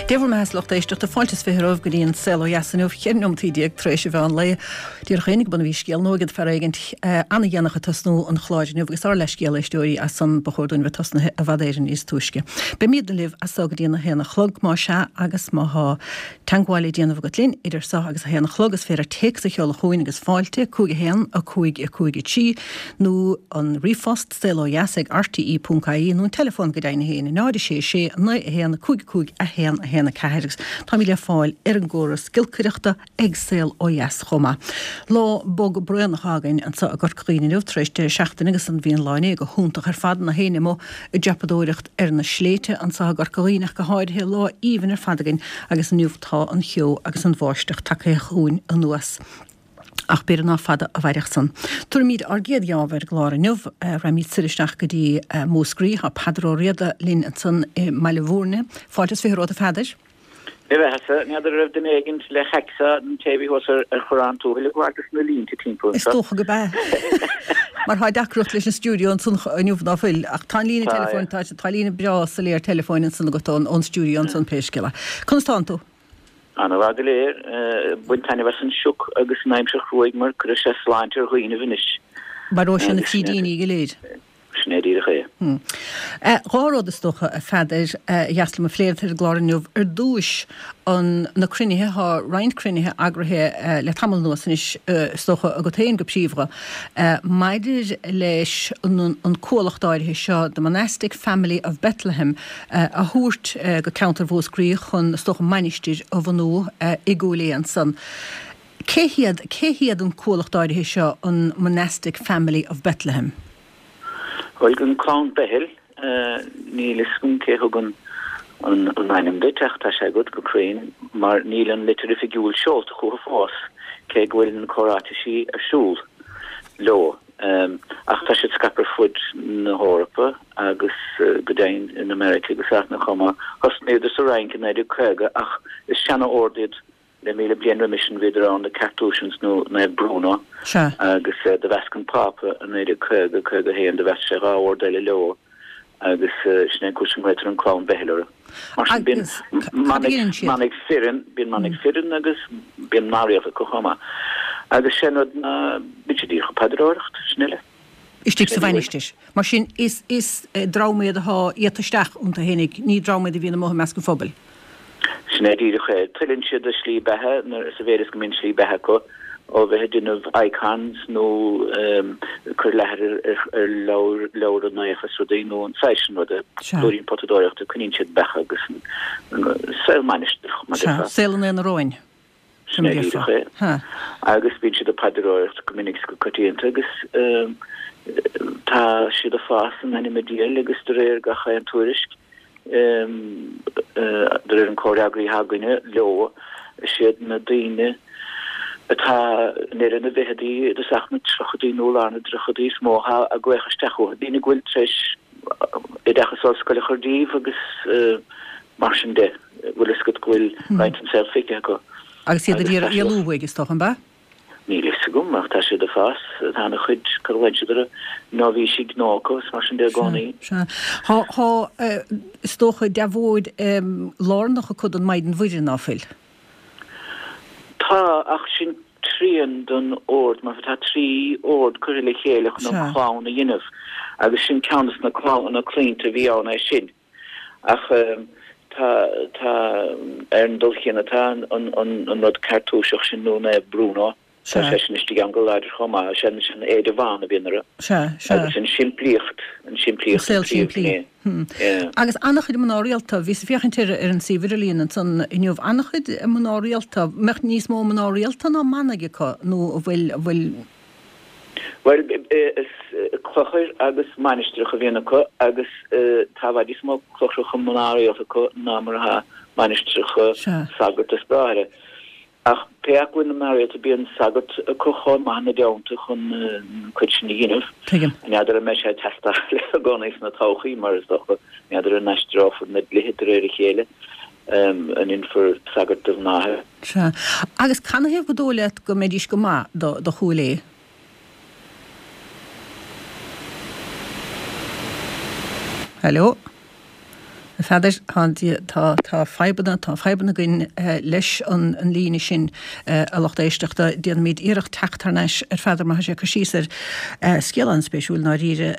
Dé bhur mbeatha a lucht éisteachta, fáilte is 20 romhaibh go dtí an Saol Ó Dheas inniu, 14 neomataí tar éis an mheán lae. Díreach féin go bun a bhí scéal nua agat fear éigint ana-dhéanach ag tosnú an chláir inniu agus ár leithscéal éisteoirí as san ba chóir dúinn bheith tosnaithe i bhfad Éireann níos túisce. Beimídne libh as so go dtí an 1 a chlog más ea agus má thá teangmháil le déanamh agat linn idir so agus a haon a chlog is féidir téacs a sheoladh chugainn agus fáilte, 5 1 5 5 3 nó an ríomhphost, saolodheas ag rte ponc ie nó an teileafón go deimhin féin, 0 6 6 9 1 5 5 1 1 4 agus táimid le fáil ar an gcóras giolcaireachta ag Saol Ó Dheas chomh maith. Lá bog braonach againn anseo i gCorca Dhuibhne inniu tar éis deireadh seachtaine agus an bhí an lá inné go hiontach ar fad, gach éinne amuigh ag dreapadóireacht ar na sléibhte anseo i gCorca Dhuibhne ach go háirithe, lá aoibhinn ar fad againn agus inniu tá an cheo agus an bháisteach tagtha chugainn anuas. Ach b'fhéidir nach fada a mhairfeadh san. Tabharfaimid ár gcéad gheábh ar an gclár inniu. Raghaimid soir isteach go dtí Múscraí. Tá Peadar Ó Riada linn ansan i mBaile Mhúirne. Fáilte is 20 romhat a Pheadair. Dé do bheathasa, n'fheadar an raibh duine éigint le haicseá an té a bhí thuas ar Chorrán Tuathail ag gabháil dos na línte timpeall Is anseo. dócha go b'ea. Mar tá deacracht leis an stiúideo ansan inniu ná fuil. Ach tá an líne Tá, teileafóin, tá, tá líne breá soiléir teileafóin ansan agat ón, ón stiúideo ansan pé scéal é. Conas tánn tú? Ana-mhaith go léir. Baint taitneamh as an sioc agus an aimsir chruaidh mar cuirfidh sé sláinte ar dhaoinibh anois. Maróidh sé na frídíní go léir. Sin é díreach é. Dhá rud is dócha, a Pheadair, a dheas liom a phlé ar an gclár inniu. Ar dtúis, an, na cruinnithe, tá roinnt cruinnithe eagraithe le tamall anuas anois, is dócha agat féin go príomha, maidir leis an, an cuallacht áirithe seo, The Monastic Family of Bethlehem, a thabhairt go ceantar Mhúscraí chun, is dócha, mainistir a bhunú i gCúil Aodha ansan. Cé hiad, cé hiad an cuallacht áirithe seo, an Monastic Family of Bethlehem? Bhuel, an clann Beithil, níl fhios agam cé thug an an ainm duit ach tá sé agat go cruinn mar níl an litir oifigiúil seolta chucu fós cé go bhfuil na comhráitisí ar siúl leo. Ach tá siad scaipthe ar fud na hEorpa agus go deimhin in America agus áiteanna chomh maith. Thosnaíodar sa Fhrainc i 1950 ach is seana-ord iad Le 1,000 bliain roimis sin bhíodar ann, na Carthusians nó Naomh Bruno, Sea. agus do mheasc an Pápa i 1950, 51, do mheasc sé dhá ord eile leo agus sin é an cúis go nglaotar an clann Beithil orthu. Mar sin bíonn Agus cad a dhéanann siad? manaigh fireann, bíonn manaigh fireann agus bíonn mná rialta acu chomh maith. Agus sé an rud ná bíonn siad díreach ag paidreoireacht, sin uile. Istigh sa mhainistir. Mar sin is, is dream iad atá iata isteach iontu fhéinig, ní dream iad a bhíonn amuigh i measc an phobail. Sin é díreach é. Tuilleann siad a slí beatha, sa mhéid is go mbíonn slí beatha acu, ó bheith ag déanamh icons nó cur leathair ar leabhra naofa is rudaí nó an saghas sin ruda, blúirín potadóireachta, coinníonn siad beacha agus saol mainistreach, mar a déarfá. Sea, saol an aonaráin. Sin é díreach é. Agus bíonn siad ag paidreoireacht go minic is go coitianta agus tá siad ag fás in ainm a diabhail agus de réir gach aon tuairisc, de réir an comhfhreagraí atá againne leo, is iad na daoine atá i ndeireadh na bhficheadaí, i dtosach na dtríochadaí nó i lár na dtríochadaí is mó atá ag glaoch isteach uathu, daoine go bhfuil tar éis oideachas ollscoile a chur díobh agus mar sin de, bhfuil fhios agat go bhfuil roinnt den saol feicthe acu. Agus iad ag iarraidh éalú uaidh, is dócha, an ea? Níl fhios agam, ach tá siad ag fás, tá ana chuid, cad a ghlaonn siad orthu, nóibhísigh gnó acu is mar sin de i gcónaí. Sea, sea. Tá, is dócha, deabhóid lárnach acu don Maighdean Mhuire, ná fuil? Tá, ach sin trian den ord, mar tá trí ord curtha le chéile chun an chlann a dhéanamh, agus sin ceann de na claimhte a bhí ann é sin. Ach tá, tá, ar an dul chéanna tá an, an, an rud Cartúiseach sin nó Naomh Bruno, tá sé sin istigh ann go láidir chomh maith, sin, sin éide bhán a bhíonn orthu. Sea, sea. Agus an simplíocht, an simplíocht an saol simplí. Yeah. Agus an-chuid mná rialta, bhíos ag féachaint ar ar an suíomh idirlíon ansan inniu, an-chuid mná rialta, mbeadh níos mó mná rialta ná manaigh acu nó an bhfuil, an bhfuil. Bhuel, is clochair agus mainistreacha a bhíonn acu agus tá i bhfad níos mó clochracha mná rialta acu ná mar atá mainistreacha sagart is bráithre. Ach pé acu bhfuil na mná rialta, bíonn sagart acu chomh maith ina dteannta chun an cuid sin a dhéanamh. Tuigim. N'fheadar an mbeidh sé ag teastáil i gcónaí sna todhchaí, mar is dócha, n'fheadar an aistreofar na dlíthe de réir a chéile, an ndéanfar sagart de mhná. Sea. Agus canathaobh gur dóigh leat go mbeidís go maith do, do Chúil Aodha? Hello? A Pheadair, tá, tá fadhbanna, tá fadhbanna againn leis an líne sin, a lucht éisteachta. Déanfaimid iarracht teacht thar n-ais ar Pheadar mar tá sé ag cur síos ar scéal an-spéisiúil i ndáiríre,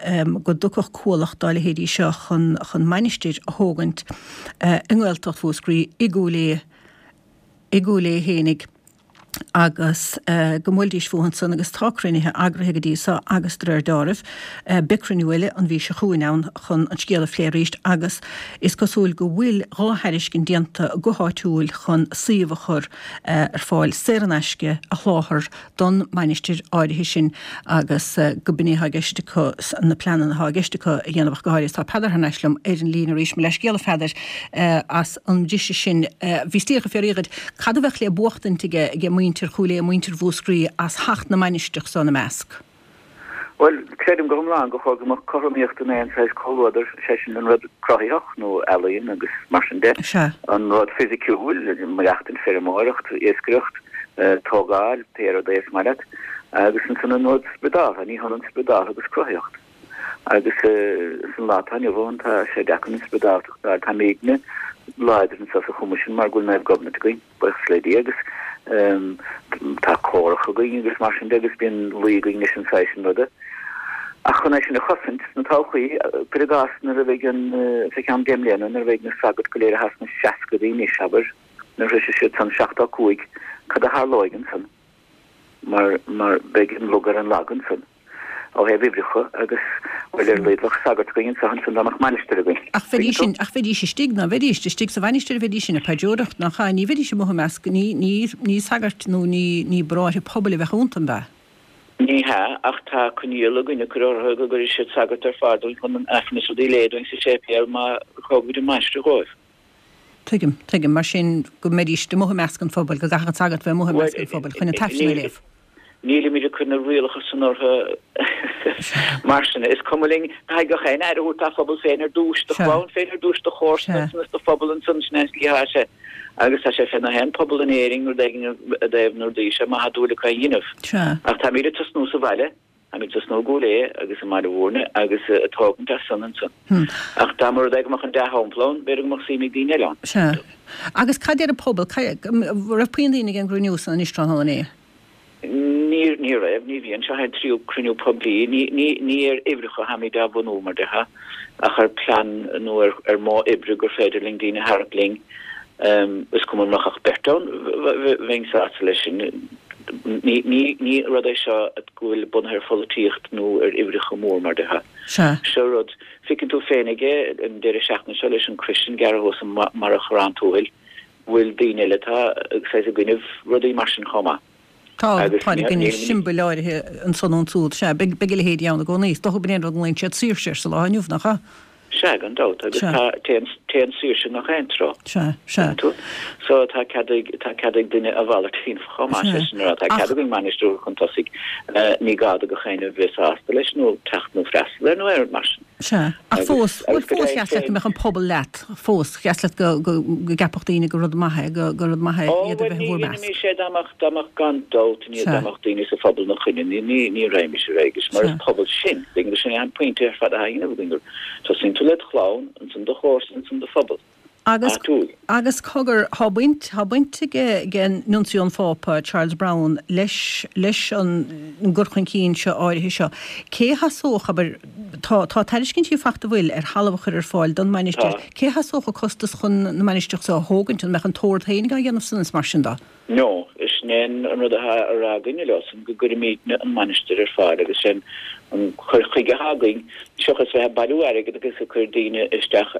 go dtiocfadh cuallacht dá leithéidí seo chun, chun mainistir a thógaint i nGaeltacht Mhúscraí, i gCúil Aodha, i gCúil Aodha fhéinig. agus go mbuailfidís fúthu ansan agus tá cruinnithe eagraithe go dtí so agus de réir deáraimh beidh cruinniú eile an mhí seo chugainn ann chun an scéal a phlé arís agus is cosúil go bhfuil dha thairiscint déanta go háitiúil chun suíomh a chur ar fáil saor in aisce a sholáthar don mainistir áirithe sin agus go b'in é atá i gceist acu na pleananna atá i gceist acu a dhéanamh ach go háirithe. Tá Peadar thar n-ais liom ar an líne arís. Mo leithscéal a Pheadair as an mbriseadh sin. Bhíos díreach ag fiafraí dhíot cad a bheadh le buachtaint aige age muintir Chúil Aodha, muintir Mhúscraí as theacht na mainistreach so ina measc? Bhuel, creidim go hiomlán gur chóir go mbeadh cothromaíocht in aon saghas comhluadar, sé sin an rud cruthaitheach nó ealaíon agus mar sin de, an rud fisiciúil, maireachtaint, feirmeoireacht, iascaireacht, tógáil, pé rud é is maith leat, agus ansan an rud spioradálta, ní hionann spioradálta agus cruthaitheacht. Agus san lá atá inniu ann tá sé deacair an spioradáltacht a fháil. Táimidne láidir anseo sa Choimisiún mar go bhfuil Naomh Gobnait againn, buíochas le Dia, agus tá córach againn agus mar sin de agus bíonn luí againn leis an saghas sin ruda. Ach chun é sin a chosaint sna todhchaí, cuir i gcás nuair a bheidh an, fé cheann deich mbliana, nuair a bheidh na sagairt go léir atá sna seascaidí anois, abair, nuair a shroisfidh siad san 75, cad a tharlóidh ansan? Mar, mar beidh an lug ar an lag ansan ó thaobh uimhreacha agus, bhuel, ar a laghad bheadh sagart againn anseo ansan dá mbeadh mainistir againn. Ach bheidís sin, ach bheidís istigh, ná bheidís, istigh sa mhainistir a bheidís sin ag paidreoireacht, nach ea? Ní bheidís amuigh i measc, ní, ní, ní sagairt nó ní, ní bráithre pobail a bheadh iontu, an ea? Ní hea, ach tá coinníoll againn a chur orthu go gcuirfidh siad sagart ar fáil dúinn chun an Aifreann is rudaí a léamh dúinn sa séipéal má thógaimid an mainistir dhóibh. Tuigim, tuigim, mar sin, go mbeidís amuigh i measc an phobail, go gcaithfeadh an sagart bheith amuigh i measc an phobail chun an tAifreann a léamh. Nílimid ag cur na rialacha san orthu mar sin. Is cuma linn, caithfidh gach éinne aire a thabhairt dá phobal féin ar dtús, do chlann féin ar dtús, do chomharsana ansan is do phobal ansan, sin é an tslí atá sé. Agus tá sé fé nach aon pobal in Éirinn rud éigin i dtaobh na rudaí seo má tá dúil acu é a dhéanamh. Ach táimid ag tosnú sa bhaile. Táimid ag tosnú i gCúil Aodha agus i mBaile Mhúirne agus ag tógaint as san ansan. Ach dá mba rud é go mbeadh an dea-shampla ann, b'fhéidir go mbeadh suim ag daoine eile ann. Sea. Agus cad deir an pobal? Raibh puinn daoine ag an gcruinniú san anois tráthnóna inné? Ní, ní raibh, ní bhíonn. Seo é an tríú cruinniú poiblí. Ní, ní, ní ar uimhreacha atáimid á bhunú, mar déarfá, ach ar plean nó ar, ar mhodh oibre gur féidir linn daoine a tharraingt linn. Is cuma an mbeadh ach beirt ann, bheinn sásta leis sin. Ní rud é seo go bhfuil bunaithe ar pholaitíocht nó ar uimhreacha mór mar déarfá. Seo rud, feiceann tú féin aige an deireadh seachtaine seo leis an crois sin gearrtha thuas i mBarra Chorrán Tuathail, go bhfuil daoine eile atá saghas i gcoinnibh rudaí mar sin chomh maith. Tá, tá i gcoinne siombail áirithe ansan nó ansúd. Sea, beidh a leithéidí ann i gcónaí. Is dócha gurb in é an rud a nglaonn siad saoirse air sa lá inniu, nach ea? Sea, gan dabht, agus tá, téann, téann saoirse i ngach aon treo. Sea, sea. Tuigeann tú? So, tá cead ag, tá cead ag duine a mhalairt féin chomh maith, sé sin a rá, tá cead againn mainistir a chur chun tosaigh, ní gá do gach éinne bheith sásta leis nó teacht nó freastal air nó aon rud mar sin. Sea. Ach fós, bhuel fós dheas leat go mbeadh an pobal leat, fós, dheas leat go, go, go gceapfadh daoine gur rud maith é, go, gur rud maith é Ó, iad a bhuel bheith ní i bhur measc. dhéanfaimis é dá mbeadh, dá mbeadh gan dabht, ní, dá mbeadh daoine sa phobal ina choinne, ní, ní, ní raghaimis ar aghaidh leis, mar is pobal sinn, tuigeann tú, sin é an pointe ar fad atá á dhéanamh againn, gur tosaíonn tú led chlann, ansan do chomharsain, ansan do phobal. Agus, áitiúil. agus cogar, thá baint, thá baint ag, ag Nuncio an Phápa, Charles Brown, leis, leis an gcur chun cinn seo áirithe seo. Cé a sheasódh, abair, tá, tá tairiscintí fachta an bhfuil ar thalamh a chur ar fáil don mainistir, Tá. cé a sheasódh an costas chun na mainistreach seo a thógaint, an mbeadh an tOrd féinig á dhéanamh san is mar sin de? No, sin é an rud atá á rá againne leosan, go gcuirimidne an mhainistir ar fáil agus sin an cur chuige atá againn, seachas bheith ag bailiú airgid agus ag cur daoine isteach,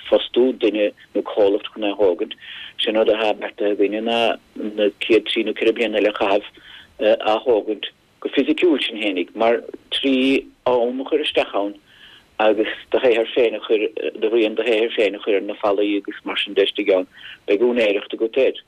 fostú duine nó comhlacht chun é a thógaint. Sin rud atá beartaithe againne ná na chéad trí nó ceithre bliana eile a chaitheamh á thógaint. go fisiciúil sinn fhéinig, mar trí am a chur isteach ann agus do shaothar féin a chur, do rian do shaothair féin a chur ar na fallaí agus mar sin de istigh ann, beidh úinéireacht agat air.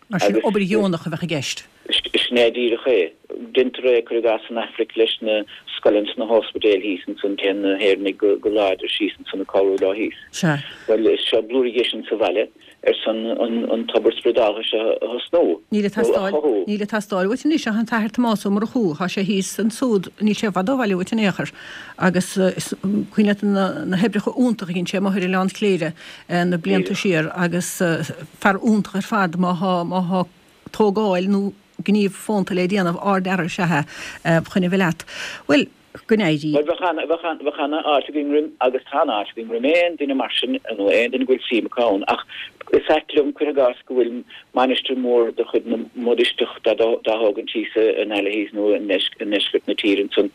Mar sin, obair dheonach a bheadh i gceist. Sin é díreach é. Deintear é, cuir i gcás, san Aifric leis na scoileanna sna hóspidéil thíos ansan, téann na hÉireannaigh go láidir síos ansan ag cabhrú leo thíos. Sea. Bhuel, is seo blúire dhe sin sa bhaile ar son an tobar spioradáltha seo a thosnú, Níl ag nó a teastáil, chothú. níl ag teastáil uait anois ach an tAthair Tomás Ó Murchú, thá sé thíos ansúd, níl sé i bhfad ó bhaile uait in aon chor, agus is cuimhin leat na hoibreacha iontacha a dhein sé amuigh ar Oileán Chléire na blianta Díreach. siar agus fear iontach ar fad má thá, má thá tógáil nó gníomh fónta le déanamh, ardfhear is ea é chun a bheith leat. Bhuel, go n-éirí. Bhuel, bheadh ana, bheadh ana, bheadh ana fháilte againn roim, agus tá ana fháilte againn roim aon duine mar sin, nó aon duine go bhfuil suim acu ann, ach is ait liom, cuir i gcás, go bhfuil mainistir mhór de chuid na mBudisteach dá dtógaint thíos in Aille thíos nó i ndeisceart na tíre ansan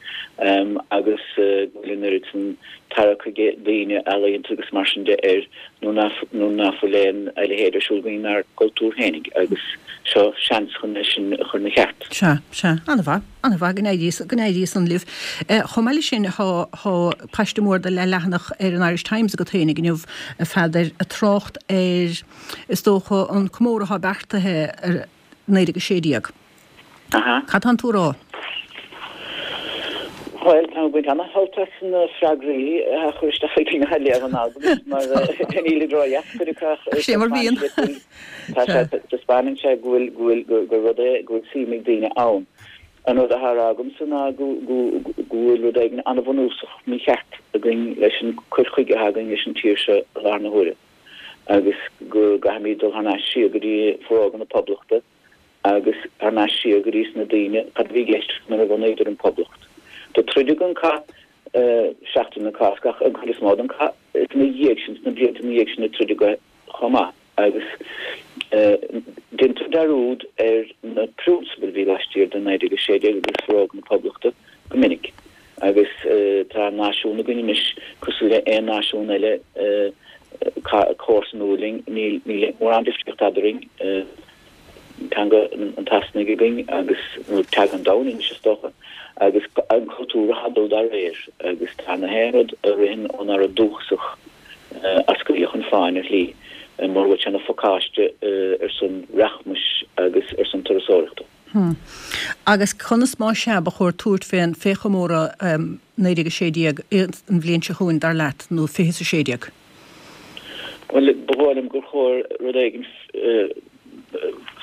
agus go bhfuil an oiread san tarrac ag daoine ealaíonta agus mar sin de air nó nach bhfuil aon a leithéid ar siúl againn inár gcultúr féinig agus seo seans chun é sin a chur ina cheart. Sea, sea. An-mhaith, an-mhaith. Go n-éirí, go n-éirí san libh. Chomh maith leis sin, thá, thá paiste mór de leathleathanach ar an Irish Times agat féinig inniu, a Pheadair, ag trácht ar, is dócha, an comóradh athá beartaithe ar 1916. Aha. Cad tánn tú a rá? Bhuel, táim ag baint ana-shult as na freagraí a chur isteach ag daoine a léamh an alt mar nílid ródheas cuid acu ach Sé mar bhíonn. Tá sé, taispeánann sé go bhfuil, go bhfuil, gur rud é go bhfuil suim ag daoine ann. An rud atá á rá agamsa ná go, go, go bhfuil rud éigin an-bhunúsach mícheart againn leis an cur chuige atá againn leis an tír seo i láthair na huaire agus go gcaithfimid dul thar n-ais siar go dtí Forógra na Poblachta agus thar n-ais siar go dtí sna daoine, cad a bhí i gceist nuair a bhunaíodar an Poblacht. Do troideadh an cath Seachtain na Cásca ach an chuid is mó den chath is ina dhiaidh sin, sna blianta ina dhiaidh sin a troideadh é chomh maith agus deintear dearúd ar na prionsabail a bhí laistiar de 1916 agus Forógra na Poblachta go minic agus tá náisiún againn anois cosúil le aon náisiún eile comharsanúil linn, níl mórán difríocht eadrainn, teanga an tSasanaigh againn agus, nó teanga an domhain anois is dócha, agus an cultúr atá ag dul dá réir agus tá na haon rud a ritheann ónár rud dúchasach á scaoileadh chun fáin ar shlí, mura bhfuil sé ina phacáiste ar son rachmais agus ar son turasóireachta. Hm. Agus conas más ea ba chóir tabhairt fén fé chomóradh 1916 an bhliain seo chugainn, dar leat, nó 2016? Bhuel, ba dhóigh liom gur chóir rud éigin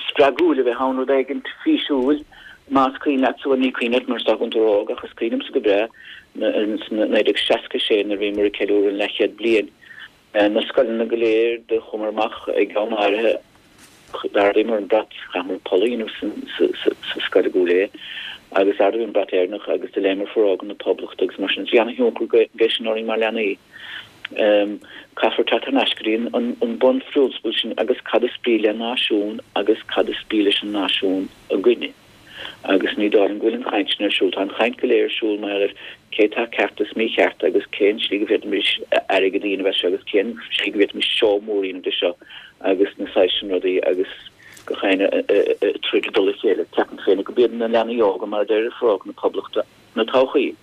spreagúil a bheith ann, rud éigin físiúil, más cuimhin leatsa, bhuel ní cuimhin leat mar is dócha go bhfuil tú ró-óg, ach is cuimhin liomsa go breá, ins 1966 nuair a bhíomar ag ceiliúradh an leathchéad bliain, Na scoileanna go léir do chuamar amach ag am áirithe d'ardaíomar an brat, chaitheamar poll a dhéanamh sa scoil i gCúil Aodha agus d'ardaíomar an brat Éireannach agus do léamar Forógra na Poblachta agus mar sin. Bhí ana-thionchar aige sin orainn mar leanaí. Caithfear teacht thar n-ais go dtí an bunphrionsabal sin agus cad is brí le náisiún agus cad is brí leis an náisiún againne. Agus ní dóigh liom go bhfuil an chaint sin ar siúl. Tá an chaint go léir ar siúl mar gheall ar cé atá ceart is mícheart agus cén slí go bhféadfaimis airgead a dhéanamh as seo agus cén slí go bhféadfaimis seó mór a dhéanamh de seo agus na saghas sin rudaí agus gach éinne ag troid i dtoll a chéile. Ceapaim féin gurb iad na leanaí óga, mar a deir Forógra na Poblachta, na todhchaí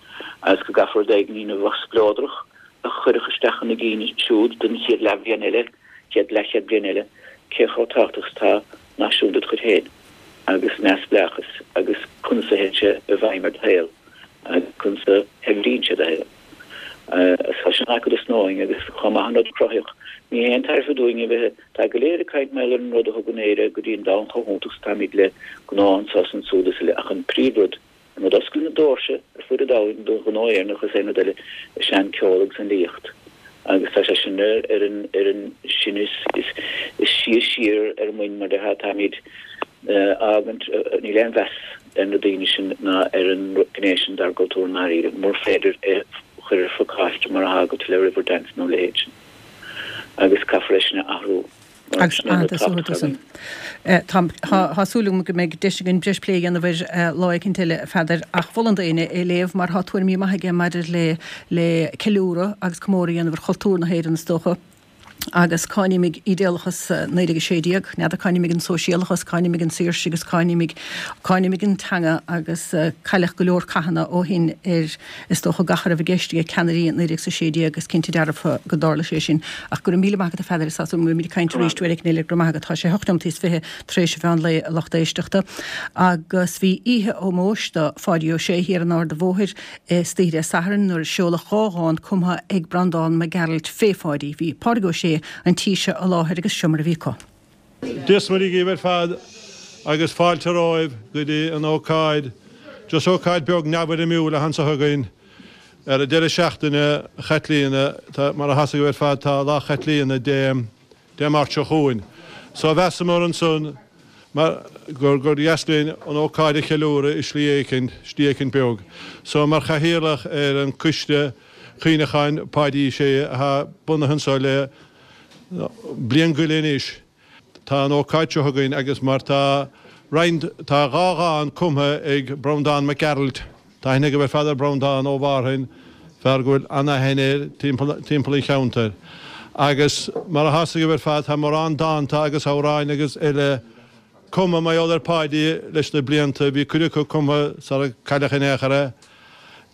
agus go gcaithfear rud éigin a dhéanamh a bheadh spleodrach a chuirfeadh isteach ina gcinn siúd don chéad leathbhliain eile, chéad leathchéad bliain eile, cé chomh tábhachtach is atá náisiún ded chuid féin agus neamhspleáchas agus conas a théann sé i bhfeidhm ar do shaol agus conas a shaibhríonn sé do shaol. Tá sin acu dos na hóig agus chomh maith an rud cruthaitheach, ní haon tairbhe dúinn a bheith, tá go léir ag caint mar gheall ar an rud a thugann Éire go dtí an domhan chomh hiontach is atáimid le gnó anso is ansúd is uile ach an príomhrud, An rud a osclaíonn na doirse ar fuaid an domhain don ghnó Éireannach is aon rud eile is ea an ceol agus an fhilíocht agus tá sé sin ar an ar an sin is is is sia siar ar an muin mar déarfá táimid á fhágaint níl aon mheas ar na daoine sin ná ar an gné sin dár gcultúr i ndáiríre mura féidir é a chur ar phacáiste mar atá agat le Riverdance nó a leithéid sin agus caithfear é sin a athrú. Agus an-tábhachtach. Tá súil agam go mbeidh deis againn breis plé a dhéanamh air lá éicint eile, a Pheadair, ach mholfainn d'éinne é a léamh mar tá tuairimí maithe aige maidir le le ceiliúradh agus comóradh a dhéanamh ar chultúr na hÉireann is dócha. Agus cáinímid ídéalachas 1916, n'fheadar, cáinímid an sóisialachas, cáinímid an saoirse agus cáinímid, cáinímid an teanga agus cailleadh go leor cathanna ó shin ar, is dócha, gach a raibh i gceist ag ceannairí 1916, is cinnte dearfa go dtarla sé sin. Ach go raibh míle maith agat a Pheadair, is dócha go mbeimid ag caint arís uair éicint eile, go raibh maith agat. Tá sé hocht nóimeataí is fiche tar éis an mheán lae, a lucht éisteachta. Agus bhí oíche ómóis do Pháidí Ó Sé thiar in Ard a' Bhóthair istoíche Dé Sathairn nuair a seoladh 2 dhán cumtha ag Breandán Mac Gearailt fé Pháidí. Bhí Pádraig Ó Sé an tí seo i láthair agus seo mar a bhí acu. Dia 's Muire dhíbh ar fad agus fáilte romhaibh go dtí an ócáid, just ócáid beag neamhfhoirmiúil atá anso againn ar an deireadh seachtaine Chaitlíona, tá, mar atá 'fhios agaibh ar fad tá Lá Chaitlíona Dé Dé Máirt seo chugainn. So mheasamar ansan mar gur gur dheas linn an ócáid a cheiliúradh i slí éicint, slí éicint beag. So mar chathaoirleach ar an coiste cuimhneacháin Páidí Uí Shé athá bunaithe anso le bliain go leith anois, tá an ócáid seo againn agus mar tá roinnt, tá 2 dhán cumtha ag Breandán Mac Gearailt, Tá aithne agaibh ar fad ar Breandán ó Mhárthain, fear go bhfuil an-aithne air timpeall an cheantair. Agus mar atá 'fhios agaibh ar fad, tá mórán dánta agus amhráin agus eile cumtha mar gheall ar Pháidí leis na blianta. Bhí cuid acu cumtha sara cailleadh in aon chor é.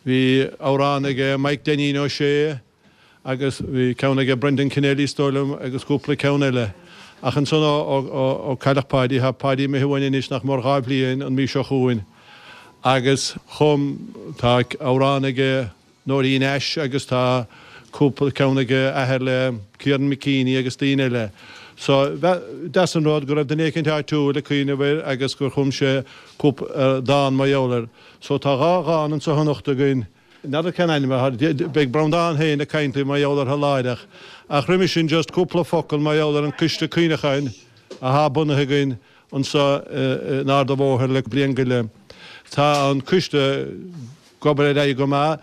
Bhí amhrán aige Mike Dainín Ó Sé. agus bhí ceann aige Brendan Kennelly is dóigh liom agus cúpla ceann eile. Ach ansan ó cailleadh Páidí, tá Páidí imithe uainn anois nach mór 2 bhliain an mhí seo chugainn agus chum, tá amhrán aige Nóirín Ashe agus tá cúpla ceann aige athair le Kieran McKeaney agus daoine eile. So deas an rud go raibh duine éicint áitiúil ag cuimhneamh air agus gur chum sé cúpla dán mar gheall air. So tá 2 dhán anso anocht againn. N'fheadar cén ainm atá air. Beidh Breandán féin ag caint libh mar gheall orthu láithreach. Ach roimhe sin just cúpla focal mar gheall ar an coiste cuimhneacháin athá bunaithe againn anso in Ard a' Bhóthair le bliain go leith. Tá an coiste ag obair ar aghaidh go maith.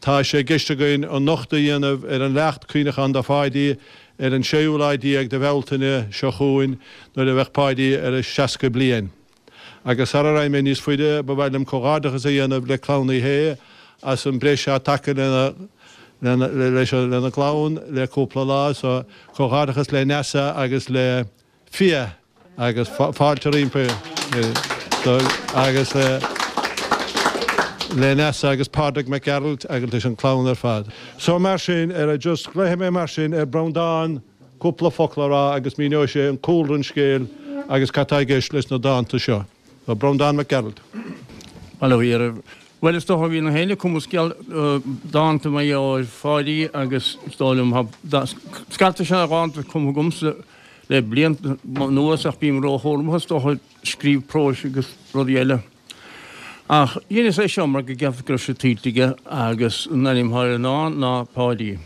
Tá sé i gceist againn an nochtadh a dhéanamh ar an leacht cuimhneacháin do Pháidí ar an séú lá déag de Bhealtaine seo chugainn nuair a bheadh Páidí ar a 60 bliain. Agus sara raghaidh mé níos faide, ba mhaith liom comhghairdeachas a dhéanamh le Clann Uí Shé as an breis atá tagtha lena lena gclann le cúpla lá so comhghairdeachas le Neasa agus le Fia agus fáilte roimpi agus le Neasa agus Pádraig Mac Gearailt agus leis an clann ar fad. So mar sin, ar just glaofaidh mé mar sin ar Breandán cúpla focal a rá agus míneoidh sé an cúlra an scéil agus cad tá i gceist leis na dánta seo. So, Breandán Mac Gearailt. Bail ó Dhia oraibh. Bhuel, is dócha, bhí na héinne ag cumadh scéal, dánta mar gheall ar Pháidí agus is dóigh liom, tá scata seana-dhánta cumtha agamsa le blianta anuas ach bím róchúramach is dócha ag scríobh próis agus rudaí eile. Ach dheineas é seo mar go gceapas go raibh sé tuillte aige agus an ainm atá ar an ndán ná Páidí.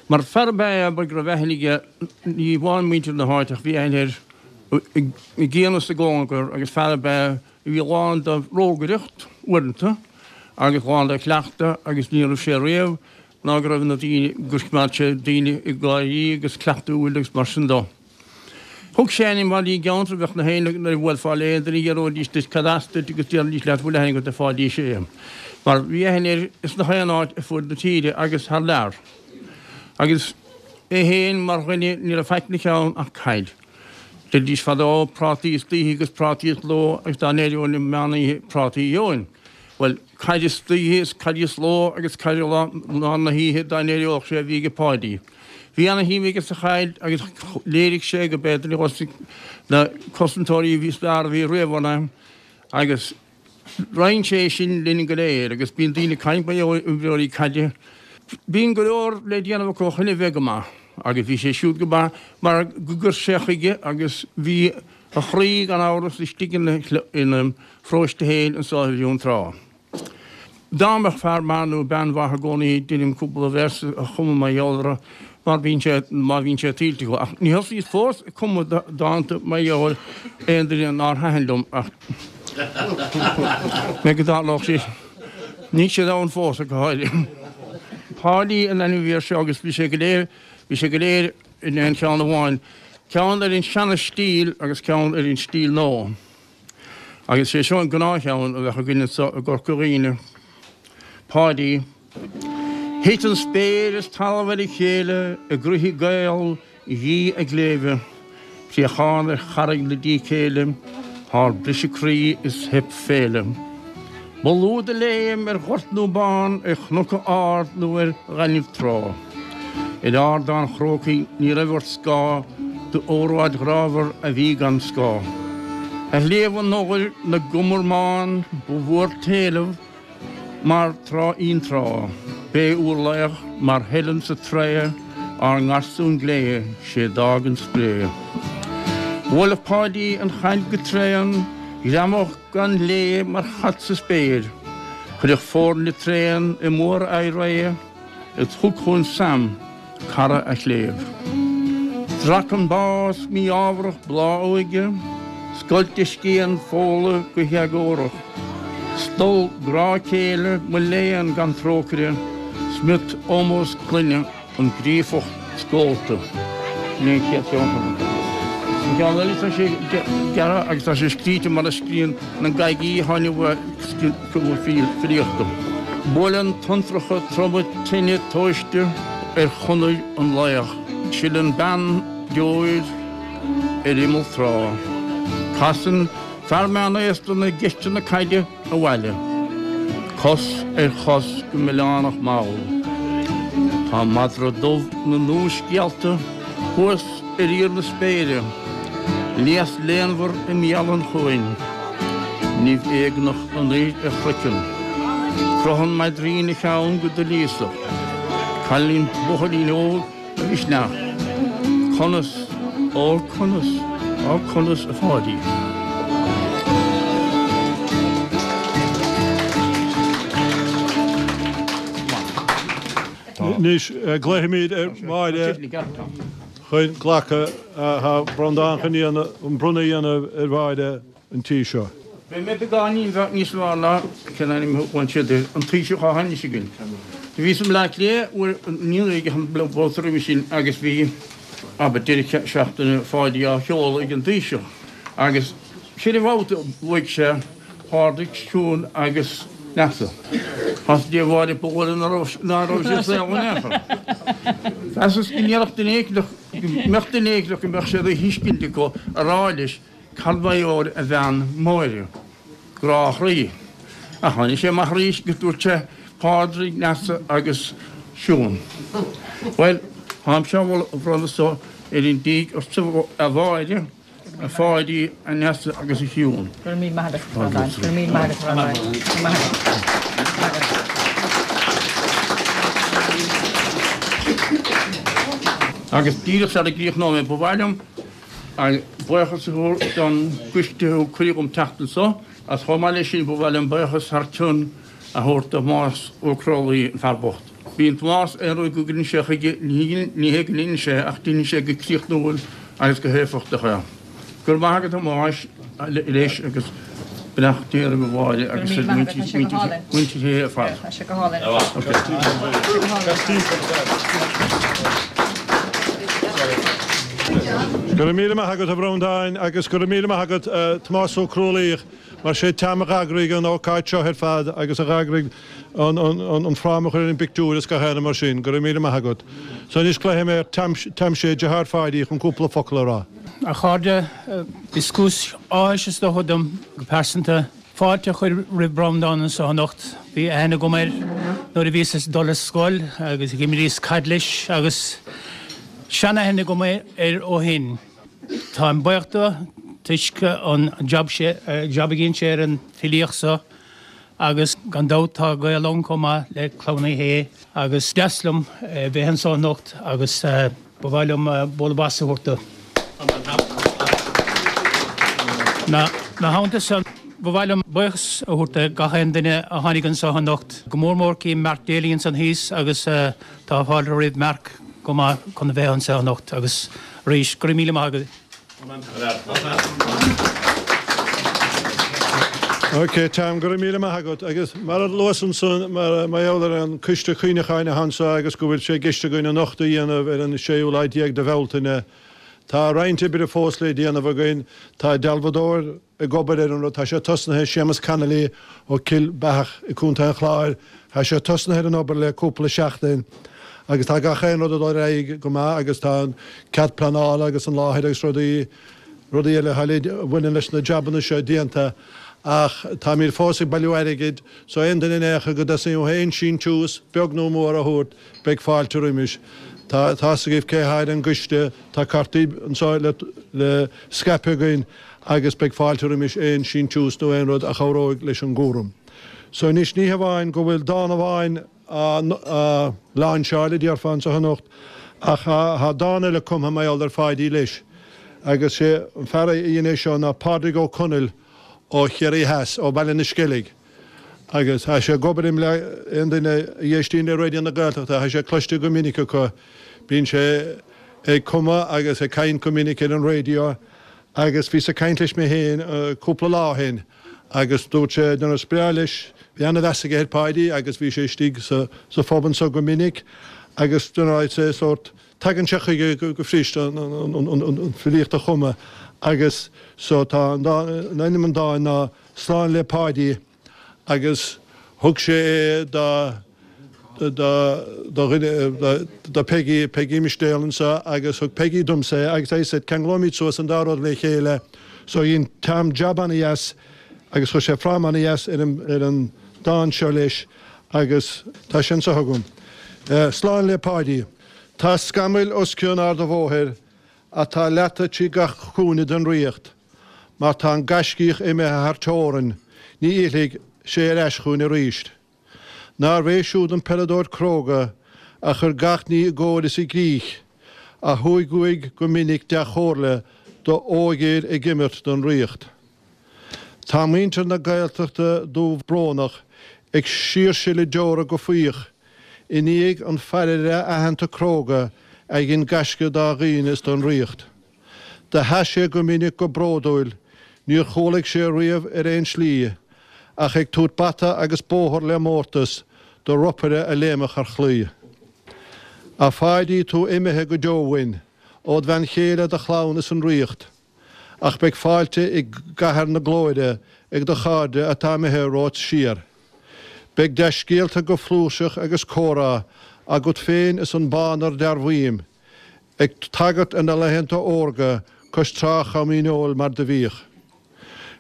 Mar fear ab ea é abair go raibh aithne aige, ní amháin muintir na háite ach bhí aithne air i gcian is i gcóngar agus fear ab ea a bhí lán de rógaireacht uaireanta agus lán de chleachtadh agus ní raibh sé riamh ná go raibh na daoine, gur choimeád sé daoine ag gáirí agus cleachtúil agus mar sin dó. Thug sé ainm Pháidí i gceantar, bheadh na héinne nuair a bhuailfeá le aon duine d'fhiafróidís duit cad as duit agus déarfaidís leat bhfuil aithne agat ar Pháidí Sé. Mar bhí aithne air ins nach aon áit ar fuaid na tíre agus thar lear. Agus é féin mar dhuine ní raibh faic ina cheann ach caid. Deiridís fadó prátaí istoíche agus prátaí sa ló agus dá n-éireoinn um meán oíche prátaí a gheobhainn. Bhuel, caid istoíche is caid sa ló agus caid i lár na hoíche dá n-éireodh sé a bhí aige Páidí. Bhí ana-shuim aige sa chaid agus léirigh sé go b'é duine de na cosantóirí is fearr a bhí riamh ann é agus roinn sé sin linn go léir agus bíonn daoine ag caint mar gheall ar imreoirí caide. Bíonn go leor le déanamh acu chun a bheith go maith agus bhí sé siúd go maith mar go gcuir sé chuige agus bhí a chroí gan amhras istigh ina pharóiste féin anso i Dún Trá. Dá mbeadh fear maith nó bean mhaith i gcónaí deinim cúpla véarsa a chumadh mar gheall orthu mar bíonn sé, má bhíonn sé tuillte acu. Ach ní thosaíos fós ag cumadh dánta mar gheall ar aon duine nár thaitin liom ach mé go dtarlódh sé. Níl siad ann fós ach go háirithe. Páidí an ainm a bhí air seo agus bhí sé go léir, bhí sé go léir in aon cheann amháin, ceann ar an seana-stíl agus ceann ar an stíl nua. Agus sé seo an gnáthcheann a bheadh againn anso i gCorca Dhuibhne. Páidí. Thit an spéir is talamh ar a chéile i gcroíthe Gael. dhí a gcléibhe, Préachán ar charraig na dícéille, Thar briseadh croí is theip féile. Ba lú do léim ar ghort nó bán, Ar chnoc ard nó ar ghaineamh trá. Ar Ardán Chrócaigh ní raibh ort scáth D'óráid ghrámhar a bhí gan scáth. Ar Shliabh an Odhair na gcumar mbán Ba mhór t'éileamh mar tráth fhionntrá. B'é úr laoch mar Helen sa Troia Ár ngarsún glé, sé d'fhág an spré. Bhuailfeadh Páidí an chaid go tréan, Ghreamódh gan lé mar chat sa spéir. Chuirfeadh foirne tréan i mór-éirí Is thug chugainn Sam, cara a chléibh. Strac an bás mí-ámharach bláth a óige, Scoilt a scian Fódhla go héagórach. Stol grá céile, mo léan gan trócaire, Smiot ómós clainne. An Gríofach Scólta. Sin é an chéad cheann acu. An ceann eile tá sé gearrtha agus tá sé scríte mar a scríonn na gaidhí a tháinig uaidh filíochta. Buaileann tonntracha troma tine tomhaiste ar chonair an laoich. Sileann bean deoir ar imeall trá. Casann fear meánaosta na gceisteanna caide. abhaile, cos ar chos go milleánach mall. Tá madra dubh na n-úrscéalta thuas ar íor na spéire, léas léanmhar i mbéal an chuain, nimh éagnach anoir ar chraiceann. Croitheann maidrín a cheann go doilíosach. Cailleann buachaillín óg A mhisneach. Conas, ó conas, ó conas a Pháidí. Anois glaofaimid ar Mháire chun glacadh, tá Breandán chun an bronnadh a dhéanamh ar Mháire. an tí seo. Beidh mé beagáinín níos fearr ná cén ainm a bhain siad air, an Taoiseach atá anois againn. Do bhíos i mBleá Cliath uair ní an babhta roimhe sin agus bhí, abair, deireadh seachtaine Pháidí á sheoladh ag an Taoiseach agus ceithre bhabhta a luaigh sé Pádraig, Siún agus Neasa. Thosaigh Dia Mháire ba dhóigh ná raibh sé saol in aon chor. Mheasas go ndéarfadh duine éicint, go mbeadh duine éicint go mbeadh sé de thuiscint acu a rá leis Cad ba dheoir a bhean Máire, grá a chroí. Ach tháinig sé amach arís agus dúirt sé, Pádraig, Neasa agus Siún. Bhuel, táimse á bhronnadh so ar an dtigh ortsa a Mháire, a Pháidí, a Neasa agus a Shiún. Go raibh míle maith agat, a Bhreandáin. Go raibh míle maith agat, a Bhreandáin. Go raibh maith agat. Go raibh maith agat. Agus díreach sara gcríochnóidh mé, ba mhaith liom Buíochas a thabhairt don gcoiste a thug cuireadh dhom teacht anso, agus chomh maith leis sin ba mhaith liom buíochas thar cionn a thabhairt do Thomás Ó Crólaí, an fear bocht. Bíonn Tomás, aon rud go gcuireann sé chuige, ní hé go ndeineann sé ach deineann sé go críochnúil agus go héifeachtach é. Go raibh maith agat a Thomáis leis agus beannacht Dé oraibh a Mháire agus ar mhuintir Shé ar fad. Tá sé go hálainn. Go raibh míle maith agat a Bhreandáin agus go raibh míle maith agat a Thomás Ó Crualaoich mar sé Tom a dh'eagraigh an ócáid seo ar fad agus a dh'eagraigh an fráma a chur ar an bpictiúr is gach aon rud mar sin. Go raibh míle maith agat. So anois glaofaidh mé ar Tom Sé, deartháir Pháidí, chun cúpla focal a rá. A chairde, is cúis áthais is dócha dom go pearsanta fáilte a chur roimh Breandán anseo anocht. Bhí aithne agam air nuair a bhíos ag dul ar scoil agus dh'imríos caid leis agus seanaithne agam air ó shin. Táim buíoch dó toisc an jab job a dhein sé ar an filíocht so agus gan dabht tá gaol ann chomh maith le Clann Uí Shé agus deas liom bheith anseo anocht agus Ba mhaith liom bualadh bos a thabhairt dó. Ina theannta san, ba mhaith liom buíochas a thabhairt do gach aon duine a tháinig anseo anocht, go mór mór cím Mark Daly ansan thíos agus tá fáilte roimh Mark chomh maith chun a bheith anseo anocht agus arís, go raibh míle maith agaibh. Ok, Tom, go raibh míle maith agat. Agus mar a luas ansan, mar gheall ar an Coiste Cuimhneacháin atá anseo agus go bhfuil sé i gceist againn an nochtadh a dhéanamh ar an séú lá déag de Bhealtaine, tá roinnt oibre fós le déanamh againn. Tá dealbhadóir ag obair ar an rud, tá sé tosnaithe, Séamus Connolly ó Cill Beathach i gContae an Chláir, tá sé tosnaithe ar an obair le cúpla seachtain. Agus tá gach aon rud ag dul ar aghaidh go maith agus tá an cead pleanála agus an láthair agus rudaí, rudaí eile a bhaineann leis na jabanna seo déanta ach táimid fós ag bailiú airgid so aon duine in aon chor go dteastaíonn uathu aon síntiús, beag nó mór, a thabhairt, beidh fáilte roimis. Tá a fhios agaibh cé atá ar an gcoiste, tá cártaí anseo le, le scaipeadh againn agus beidh fáilte roimis aon síntiús nó aon rud a chabhróidh leis an gcúram. So anois ní hamháin go bhfuil dán amháin á lainseáil, a déarfá, anseo anocht, ach tá dán eile cumtha mar gheall ar Pháidí leis, agus sé an fear a dhein é seo ná Pádraig Ó Conaill ó Chiarraí Theas, ó Bhaile na Sceilg, agus tá sé ag obair i mBleá, aon duine a éistíonn le Raidió na Gaeltachta, tá sé cloiste go minic acu, bíonn sé ag cumadh agus ag caint go minic ar an raidió, agus bhíos ag caint leis mé féin cúpla lá ó shin. Agus dúirt sé, you know, is breá leis, bhí ana-mheas aige ar Pháidí agus bhí sé istigh sa, sa phub anso go minic agus, you know, I'd say sórt, tagann sé chuige go, go fuirist an, an, an, an, an filíocht a chumadh agus so tá an dán, an ainm an dáin ná Slán le Páidí agus thug sé é do, do, do dhuine, do Peggy, Peggy Mistéal anso agus thug Peggy domsa é agus I said ceanglóimid suas an dá rud le chéile so dhein Tom jab ana-dheas agus chuir sé fráma ana-dheas ar an, ar an dán seo leis agus tá sé anso agam. Slán le Páidí. Tá scamaill os cionn Ard a' Bhóthair atá leata trí gach cúinne den Ríocht mar tá an gaiscíoch imithe thar teorainn ní fhillfidh sé ar ais chugainn arís. Nárbh é siúd an peileadóir cróga a chuir gach ní i gcóir is i gcrích, a thuig uaidh go minic dea-chomhairle do óigfhir ag imirt don Ríocht. Tá muintir na Gaeltachta dubh brónach ag síorsileadh deora go faíoch i ndiaidh an phaidir aitheanta cróga a dhein gaisce dá dhaoine is don Ríocht. Do sheas sé go minic go bródúil, níor chúlaigh sé riamh ar aon slí, ach ag tabhairt bata agus bóthar le mórtas do ropaire a léimfeadh ar chlaí. A Pháidí, tú imithe go deo uainn, ód bhean chéile, do chlann is an Ríocht, ach beidh fáilte i gcathair na glóire ag do chairde atá imithe romhat siar. Beidh dea-scéalta go flúirseach agus comhrá agat féin is an bánar dearbhaím, Ag tagairt ar na laethanta órga cois trá Chom Dhíneol mar do bhíodh.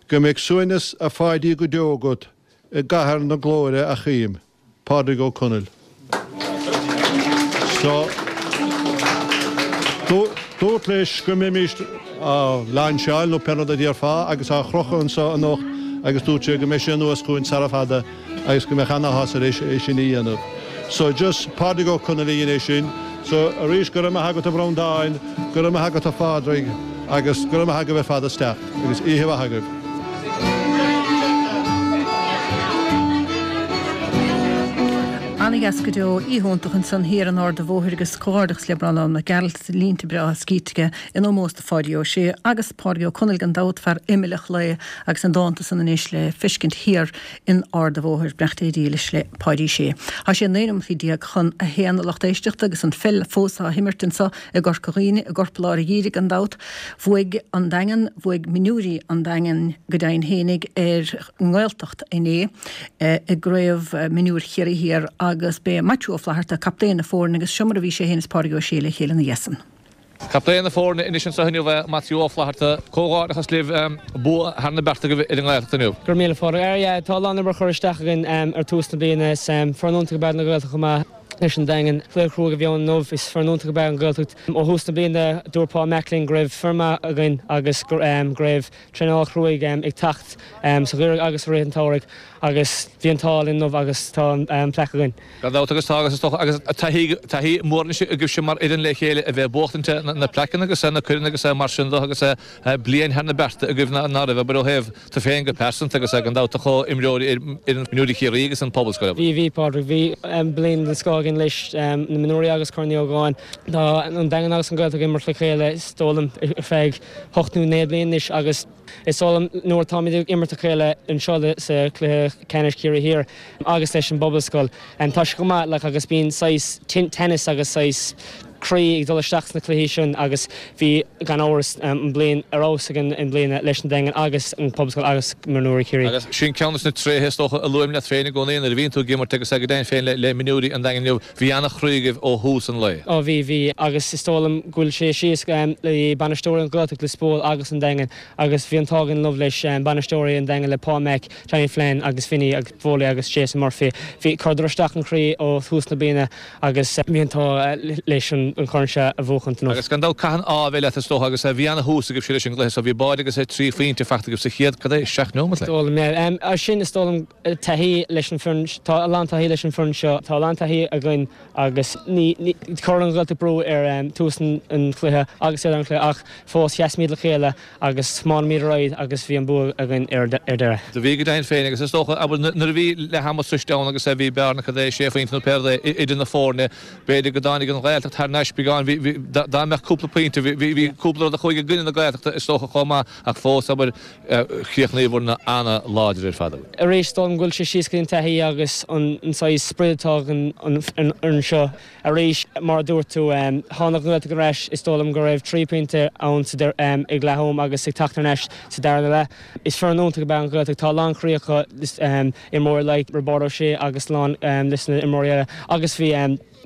Go mbeidh suaimhneas a Pháidí go deo agat i gcathair na glóire a chím. Pádraig Ó Conaill. So, dúrt leis go mbeimíst á lainseáil nó pé rud a déarfá agus á chrochadh anso anocht agus dúirt sé go mbeidh sé anuas chugainn sara fada agus go mbeadh an-áthas air é sin a dhéanamh. So just Pádraig Ó Conaill a dhein é sin. So arís go raibh maith agat a Bhreandáin, go raibh maith agat a Phádraig agus go raibh maith agaibh ar fad as teacht agus oíche mhaith agaibh. Ana-dheas go deo, oíche iontach ansan thiar in Ard a' Bhóthair agus comhghairdeachas le Breandán Mac Gearailt, línte breátha scríte aige in ómós do Pháidí Ó Sé agus Pádraig Ó Conaill gan dabht, fear imill a chlaí agus na dánta san anois le feiscint thiar in Ard a' Bhóthair. Beannacht Dé dhílis le Páidí Sé. Tá sé 19 nóimeataí chun a haon a lucht éisteachta agus an pheil fós á himirt anso i gCorca Dhuibhne, i gcorplár an gheimhridh gan dabht. Bhuaigh an Daingean, bhuaigh mionúirí an Daingin go deimhin fhéinig ar an nGaeltacht inné i gCraobh Mionúir Chiarraí Thiar agus b'é Maitiú Ó Flatharta captaen na foirne agus seo mar a bhí sé féin is Pádraig Ó Sé le chéile ina dhiaidh san. Captaen na foirne anois anseo inniu, Maitiú Ó Flatharta. Comhghairdeachas libh, bua thar na bearta agaibh ar an nGaeltacht inniu. Go raibh míle Phádraig. Ar yeah, tá a lán obair curtha isteach againn ar tús na bliana. Is foireann iontach ab ea an Ghaeltacht chomh maith leis an Daingean. Cluiche cruaidh a bhí ann inniu. Is foireann iontach ab ea an Ghaeltacht. Ó thús na bliana dúirt Paul Mac linn go raibh foireann maith againn agus go raibh traenáil chruaidh ag teacht sa gheimhreadh agus i rith an tsamhraidh agus bhí an t-ádh linn inniu agus tá an plaic againn. Gan dabht agus tá agus is dócha agus taithí taithí mór anois agaibhse mar fhoireann le chéile a bheith ag buachtaint na plaiceanna agus na coirn agus mar sin de agus bliain thar na bearta agaibh ná raibh abair ó thaobh tú féin go pearsanta agus gan dabht do chomhimreoirí ar fhoireann mionúirí Chiarraí agus an Pobalscoil. Bhí bhí Pádraig bhí bliain den scoth againn leis na mionúirí agus Corn Uí Ógáin. Tá an Daingean agus an Ghaeltacht ag imirt le chéile is dóigh liom ar feadh hocht nó naoi bliain anois agus Is dóigh liom nuair atáimid ag imirt a chéile anseo sa chluiche ceannais Ciarraí Thiar agus leis an bPobalscoil, tá sé go maith like agus bíonn saghas teannas agus saghas. croí ag dul isteach sna cluichí sin agus bhí, gan amhras, an bliain ar fheabhas againn i mbliana leis an Daingean agus an Pobalscoil agus Mionúirí Chiarraí. Agus sin ceann de na tréithe is dócha a luaim leat féin i gcónaí nuair a bhíonn tú ag imirt agus go deimhin féin le Mionúirí an Daingin inniu, bhí an-chroí agaibh ó thús an lae. Ó bhí, bhí agus is dóigh liom go bhfuil sé síos le bainisteoirí an Ghaeltacht Lios Póil agus an Daingean agus bhí an t-ádh againn inniu leis bainisteoirí an Daingean le Paul Mac, Johnny Flynn agus Vinny agus Foley agus Jason Murphy. Bhí, chuireadar isteach an chroí ó thús na bliana agus bhí an t-ádh leis an chorn seo a bhuachaint inniu. Agus gan dabht caitheann ádh a bheith leat is dócha agus bhí ana-thús agaibhse leis an gcluiche so bhí báide agus 3 phointe faighte agaibh sa chéad, cad é, 7 neomat like. Is dóigh liom, yeah. Sin is dóigh liom taithí leis an foireann, tá a lán taithí leis an foireann seo, tá a lán taithí againn agus ní, ní, chuir an Ghaeltacht brú ar tús an chluiche agus ar an chluiche ach fós sheasaimid le chéile Agus thiomáinimid ar aghaidh agus bhí an bua againn ar deireadh. Do bhí go deimhin féin agus is dócha, abair, nuair a bhí leath ama sroiste ann agus bhí bearna, cad é, sé phointe nó pé rud é, idir na foirne, b'fhéidir go dtáinig an Ghaeltacht thar n-ais beagán, bhí, bhí, dá mbeadh cúpla pointe, bhí, bhí, bhí cúpla rud a chuaigh i gcoinne na Gaeltachta is dócha chomh maith ach fós, abair, chríochnaíobhair ana-láidir ar fad. Arís, is dóigh liom go bhfuil sé síos go dtí an taithí agus an saghas sprid atá ag an fhoireann seo. Arís, mar a dúirt tú, tháinig an Ghaeltacht ar ais, is dóigh liom go raibh 3 pointe ann sa ag leath am agus ag teacht thar n-ais sa darna leath. Is foireann iontach ab ea an Ghaeltacht, tá a lán croí acu, imreoirí like Roibeárd Ó Sé agus a lán leis na imreoirí eile agus bhí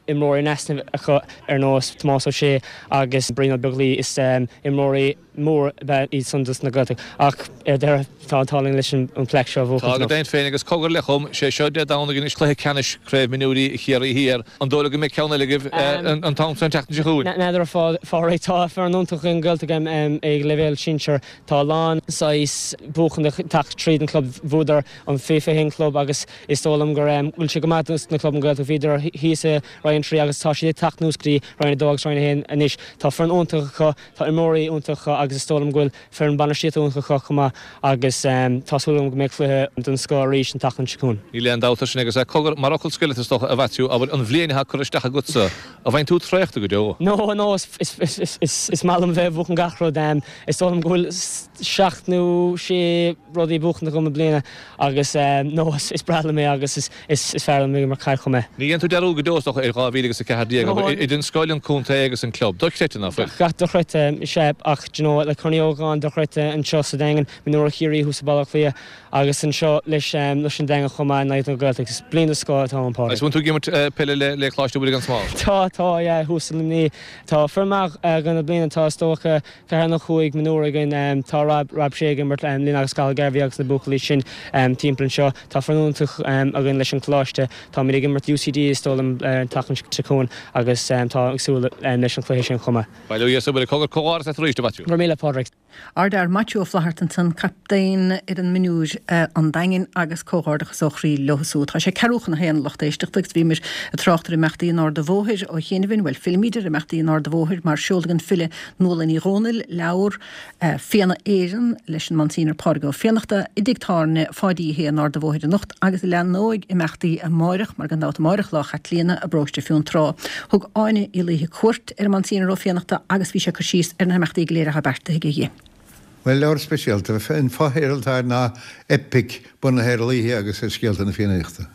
imreoirí in easnamh acu ar nós Tomás Ó Sé agus Brian Ó Beaglaoich. Is imreoirí. mór ab ea iad san dos na Gaeltacht ach ar deireadh tá an t-ádh linn leis an plaic seo a bhuachaint Tá go deimhin féin agus cogar le chum, sé seo Dé Domhnaigh anois cluiche ceannais Craobh Mionúirí Chiarraí Thiar. An dóigh leat go mbeidh ceann eile agaibh an t-am seo an tseachtain seo chugainn? N'fheadar a Phádraig, tá foireann iontach ag an Ghaeltacht ag leibhéal sinsir. Tá a lán saghas buachan ag teacht tríd an club. Bhuadar an faoi 21 club agus is dóigh liom go bhfuil sé go maith dos na club an Ghaeltacht. Bhíodar thíos i Roinn 3 agus tá siad ag teacht anuas go dtí Roinn 2 agus Roinn 1 anois. Tá foireann iontach acu. Tá imreoirí iontacha agus is dóigh liom go bhfuil foireann bainistíochta iontach acu chomh maith agus tá súil agam go mbeidh cluiche den scoth arís an tseachtain seo chugainn. Níl aon dabht air sin agus cogar, mar fhocal scoir is dócha, a Mhaitiú, abair, an bhliain atá curtha isteach agatsa, an bhfaigheann tú traochta go deo? No, no, is maith liom bheith ag buachan gach rud. Is dóigh liom go bhfuil seacht nó sé rudaí buachanta agam i mbliana agus no, is breá liom é agus is Is fearr liom ag imirt caid chomh maith. Ní dhéanann tú dearúd go deo is dócha ar 2014, abair, idir an scoil, an contae agus an club. Dochreidte, ná fuil? Dochreidte, sea, ach do you know, le Corn Uí Ógáin dochreidte anseo sa Daingean, Mionúir Chiarraí thuas i Baile Átha Cliath agus anseo leis leis an Daingean chomh maith in aghaidh na Gaeltachta. Is bliain den scoth atá ann, Pádraig. Agus bhfuil tú ag imirt peile le le Coláiste Mhuire gan Smál? Tá, tá, yeah, thuas i Luimnigh. Tá foireann maith againn i mbliana, tá is dócha ceathair nó chúig mionúr againn. Tá Rob, Rob Shea ag imirt linn agus Cathal Garvey agus na buachaillí sin timpeall anseo. Tá foireann iontach againn leis an choláiste. Táimid ag imirt UCD is dóigh liom an tseachtain seo chugainn agus tá ag súil leis an chluiche sin chomh maith. Bail ó Dhia is Muire. Cogar, comhghairdeas leat arís, a Mhaitiú. Go raibh míle, Pádraig. Ár bhfear Maitiú Ó Flaithearta ansan, captaen fhoireann mionúir an Daingin agus comhghairdeachas ó chroí leo siúd. Tá sé ceathrú chun a haon a lucht éisteachta agus bhíomar ag trácht ar imeachtaí an Arda Bhóthair ó chianaibh. Bhuel, fillimid ar imeachtaí an Arda Bhóthair mar seolfaidh an file Nuala Ní Dhomhnaill leabhar Fianna Éireann leis an Monsignor Pádraig Ó Fiannachta i dtigh tábhairne Pháidí Uí Shé an Arda Bhóthair anocht agus leathnóidh imeachtaí amáireach mar gan dabht amáireach Lá Chaitlíona i bparóiste Fionntrá. Thug Áine Uí Laoithe cuairt ar an Monsignor Ó Fiannachta agus bhí sé ag cur síos ar na himeachtaí go léir atá beartaithe aige. Bhuel, leabhar speisialta. An fotheideal atá air ná Eipic bunaithe ar laoithe agus ar scéalta na Fiannaíochta.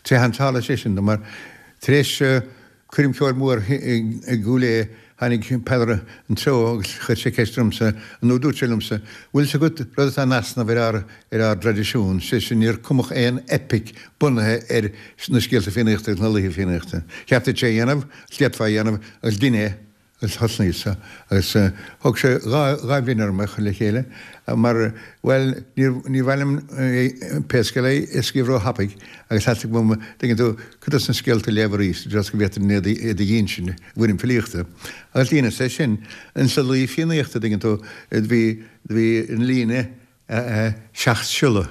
Téann tharla sé sin dom mar tar éis Coirm cheoil mhór i gCúil Aodha, tháinig Peadar an Treo agus chuir sé ceist ormsa, nó dúirt sé liomsa, 'Bhfuil 's agat rud atá in easnamh ar ár, ar ár dtraidisiún, sé sin níor cumadh aon eipic bunaithe ar na scéalta Fiannaíochta agus na laoithe Fiannaíochta. Cheart duit é a dhéanamh, agus d'fhéadfá é a dhéanamh, agus dein é. Agus thosnaíos-sa, agus thóg sé dha bhliain orm é a chur le chéile, mar, bhuel, níor, ní mhaith liom, pé scéal é, scríobh ró-thapaidh, agus theastaigh uaim, tuigeann tú, cuid dos na scéalta a léamh arís, i dtreo is go bhféadfainn iad a dh'insint i bhfoirm filíochta. Agus dheineas é sin. Insa laoi Fiannaíochta, tuigeann tú, bhí, bhí an líne 7 siolla.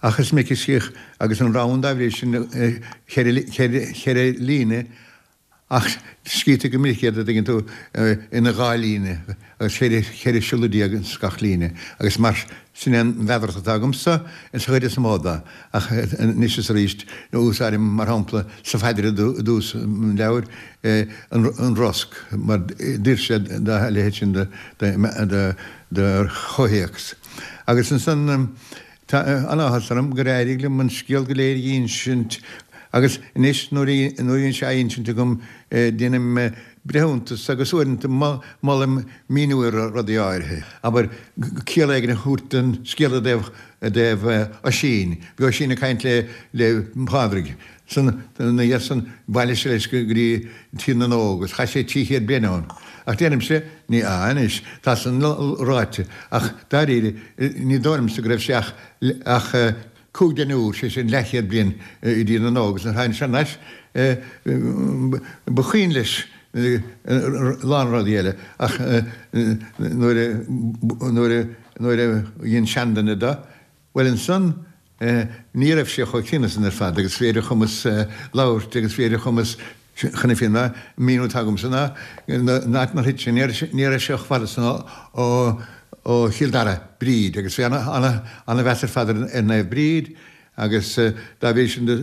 Ach is minic a scríobh, agus an rann dá bhrí sin, cheithre líne, Ach scríobhtar go minic iad, a dtuigeann tú, ina dha líne, agus cheithre siolla déag ins gach líne, agus mar sin é an mheadaracht atá agamsa, ins an chuid is mó de. Ach anois is arís, úsáidim, mar shampla, sa phaidir i dtús an leabhair, an rosc, mar d'oir sé dá leithéid sin de chomhthéacs. Agus ansan. Tá an-áthas orm gur éirigh liom an scéal go léir a dh'insint agus anois nuair a bhíonn sé á insint agam déanaim. breithiúntas agus uaireanta molaim míniú ar rudaí áirithe. Abair, ciall éigin a thabhairt don scéal i dtaobh, i dtaobh Oisín. Bhí Oisín ag caint le, le Pádraig. San, ina dhiaidh san, bhailigh sé leis go dtí Tír na nÓg agus chaith sé 300 bliain ann. Ach deirimse, ní, ah anois, tá san ráite, ach dáiríre, ní dóigh liomsa go raibh sé ach, ach cúig deichniúr, sé sin leathchéad bliain i dTír na nÓg agus nuair a tháinig sé thar n-ais, ba chuimhin leis a lán rudaí eile ach nuair a, nuair a, nuair a dhein seanduine de, bhuel ansan ní raibh sé chomh críonna san ar fad agus bhí ar a chumas labhairt agus bhí ar a chumas chun na fírinne, an míniú atá agamsa ná an áit inar thit sé, ní raibh sé chomh fada san ó ó Chill Dara, Bríd, agus bhí ana-mheas ar fad ar Naomh Bríd Agus dá bhrí sin de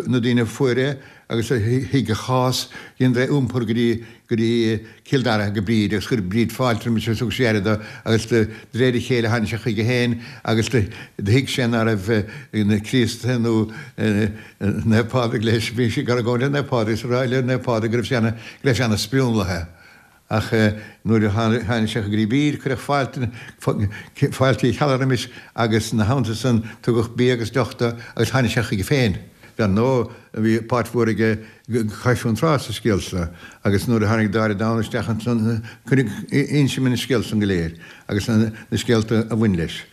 na daoine a fuair é agus a thuig a chás, dheineadar é iompar go dtí go dtí Cill Dara, go Bríd, agus chuir Bríd fáilte roimis agus thug sí aire do, agus de réir a chéile tháinig sé chuige féin agus do thuig sé ná raibh na Críostaithe nó Naomh Pádraig leis, bhí sé ag argóint le Naomh Pádraig agus ag rá le Naomh Pádraig go raibh sé ana, go raibh sé ana sprionlaithe. Ach nuair a tháinig sé go dtí Bríd, cuireadh fáilte, fáilte Uí Cheallaigh roimis agus ina theannta san tugadh bia agus deoch do agus tháinig sé chuige féin. Dar ndóigh, bhí páirt mhór aige Cois Trá sa scéal seo agus nuair a tháinig Dáire Donn isteach ansan cuireadh, insim an scéal san go léir agus na scéalta a bhain leis.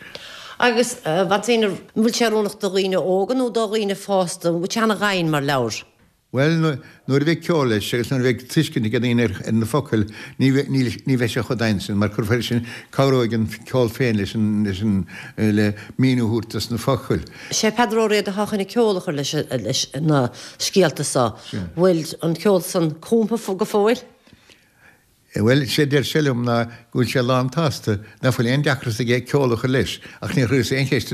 Agus, a Mhonseigneur, an bhfuil sé oiriúnach do dhaoine óga nó do dhaoine fásta? An bhfuil sé ana-dhoimhin mar leabhar? Bhuel, nuair a bheidh ceol leis agus nuair a bheidh tuiscint ag daoine ar na focail, ní ní bheidh sé chomh domhain sin, mar cuirfear sin, cabhróidh an ceol féin leis an, leis an, le míniú a thabhairt dos na focail. Sé Peadar Ó Riada atá chun an ceol a chur leis, leis na scéalta so. Bhfuil an ceol san cumtha go fóill? Bhuel, sé deir sé liom ná go bhfuil sé lán tsásta, ná fuil aon deacracht aige ceol a chur leis, ach níor chuireas aon cheist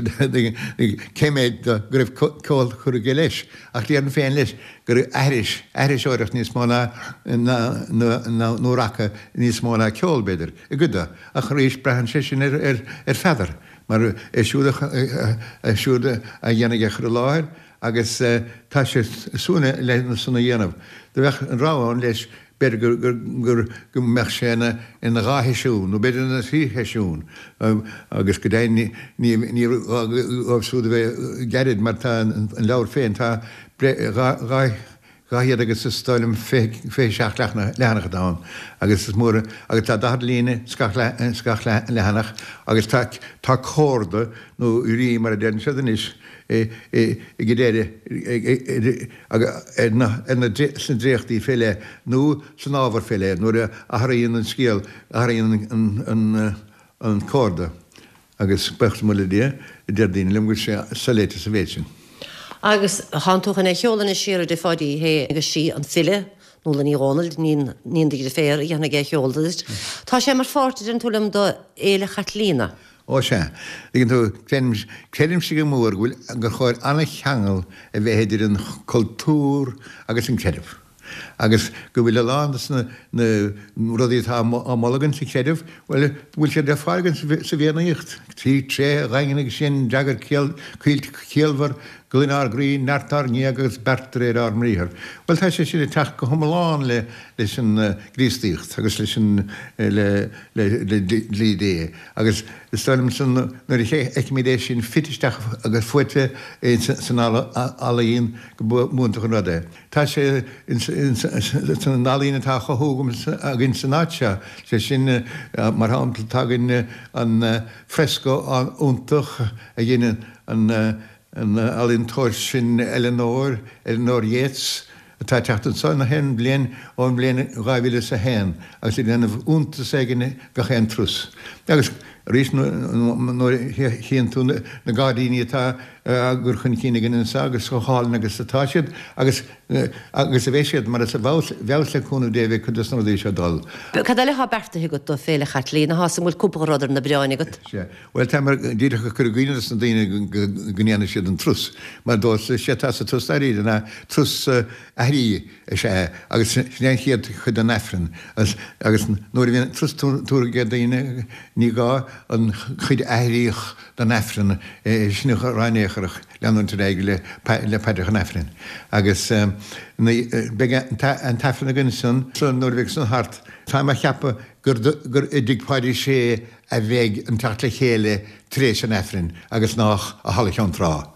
cé mhéad go raibh ceol curtha aige leis, ach déarfainn féin leis gur aithris, aithriseoireacht níos mó ná, ná, nó raca níos mó ná ceol, b'fhéidir, i gcuid de, ach arís braitheann sé sin ar, ar, ar Pheadar, mar é siúd a, é siúd a dhéanfaidh é a chur i láthair agus tá sé ag súil le san a dhéanamh. Do bheadh an rogha ann leis B'fhéidir gur go mbeadh sé ina dhá sheisiún, nó b'fhéidir ina thrí sheisiún, agus go deimhin ní gá dóibh siúd a bheith gairid mar tá an leabhar féin, tá 200 agus is dóigh liom 27 leathanach atá ann agus is mór agus tá 40 líne sa gach leathanach agus tá tá comhardadh nó rím mar a deireann siad anois ag an deireadh ar na sna dréachtaí fé leith nó san ábhar fé leith nuair a athraíonn an scéal, athraíonn an comhardadh agus buíochas mór le Dia, deir daoine liom go bhfuil sé soléite sa mhéid sin. Agus tánn tú chun é a sheoladh anois siar a deir Pháidí Uí Shé agus sí an file, Nuala Ní Dhomhnaill, níon do dheirféar, a dhéanfaidh é a sheoladh duit. Tá sé mar pháirt, a deireann tú liom, de Fhéile Chaitlíona. Ó sea, tuigeann tú, creidimse go mór go bhfuil, gur chóir an-cheangal a bheith idir an cultúr agus an creideamh. Agus go bhfuil a lán de na rudaí atá á moladh againn sa chreideamh, bhuel, go bhfuil siad le fáil againn sa bhFiannaíocht. Trí tréithe dhaingne agus sinn, d'fhreagair Caoilte ciallmhar, Glaine ár gcroí, neart ár ngéag agus beart de réir ár mbriathar. Bhuel, tá sé sin ag teacht go hiomlán le leis an gCríostaíocht agus leis an le le dlí Dé. Agus is dóigh liom san nuair a fheicimid é sin fite isteach agus fuaite san ealaín go b'iontach an rud é. Tá sé san ealaín atá á chothú againn san áit seo, sé sin mar shampla tá againn an fresco iontach a dhein an ealaíontóir sin Eleanor, Eleanor Yates, atá ag teacht anso gach aon bhliain ón mbliain 2001 agus ag déanamh iontas éigin gach aon turas. Agus arís nuair a chíonn tú na gairdíní atá á gcur chun cinn againn anso agus chomh hálainn agus atá siad agus agus a bheidh siad mar is i bhfeabhas le cúnamh Dé a bheidh cuid de na rudaí seo ag dul. Cad eile atá beartaithe agat do Féile Chaitlíona? Tá 's an bhfuil cúpla rud ar na bioráin agat? Sea. Bhuel, tá mé díreach ag cur i gcuimhne dos na daoine go ndéanfaidh siad an turas, mar dóibh is é atá sa turas dáiríre ná turas aithrí is ea é agus sin é an chéad chuid den Aifreann agus nuair a bhíonn an turas tabhartha ag daoine ní gá. an chuid aithríoch den Aifreann, sin a rá in aon chor ach leanúint ar aghaidh le paidreacha an Aifrinn. Agus beidh an tAifreann againn ansan nuair a bheidh san thart. Táim á cheapadh gur i dTigh Pháidí Sé a bheidh an teacht le chéile tar éis an Aifrinn agus nách i Halla Cheann Trá.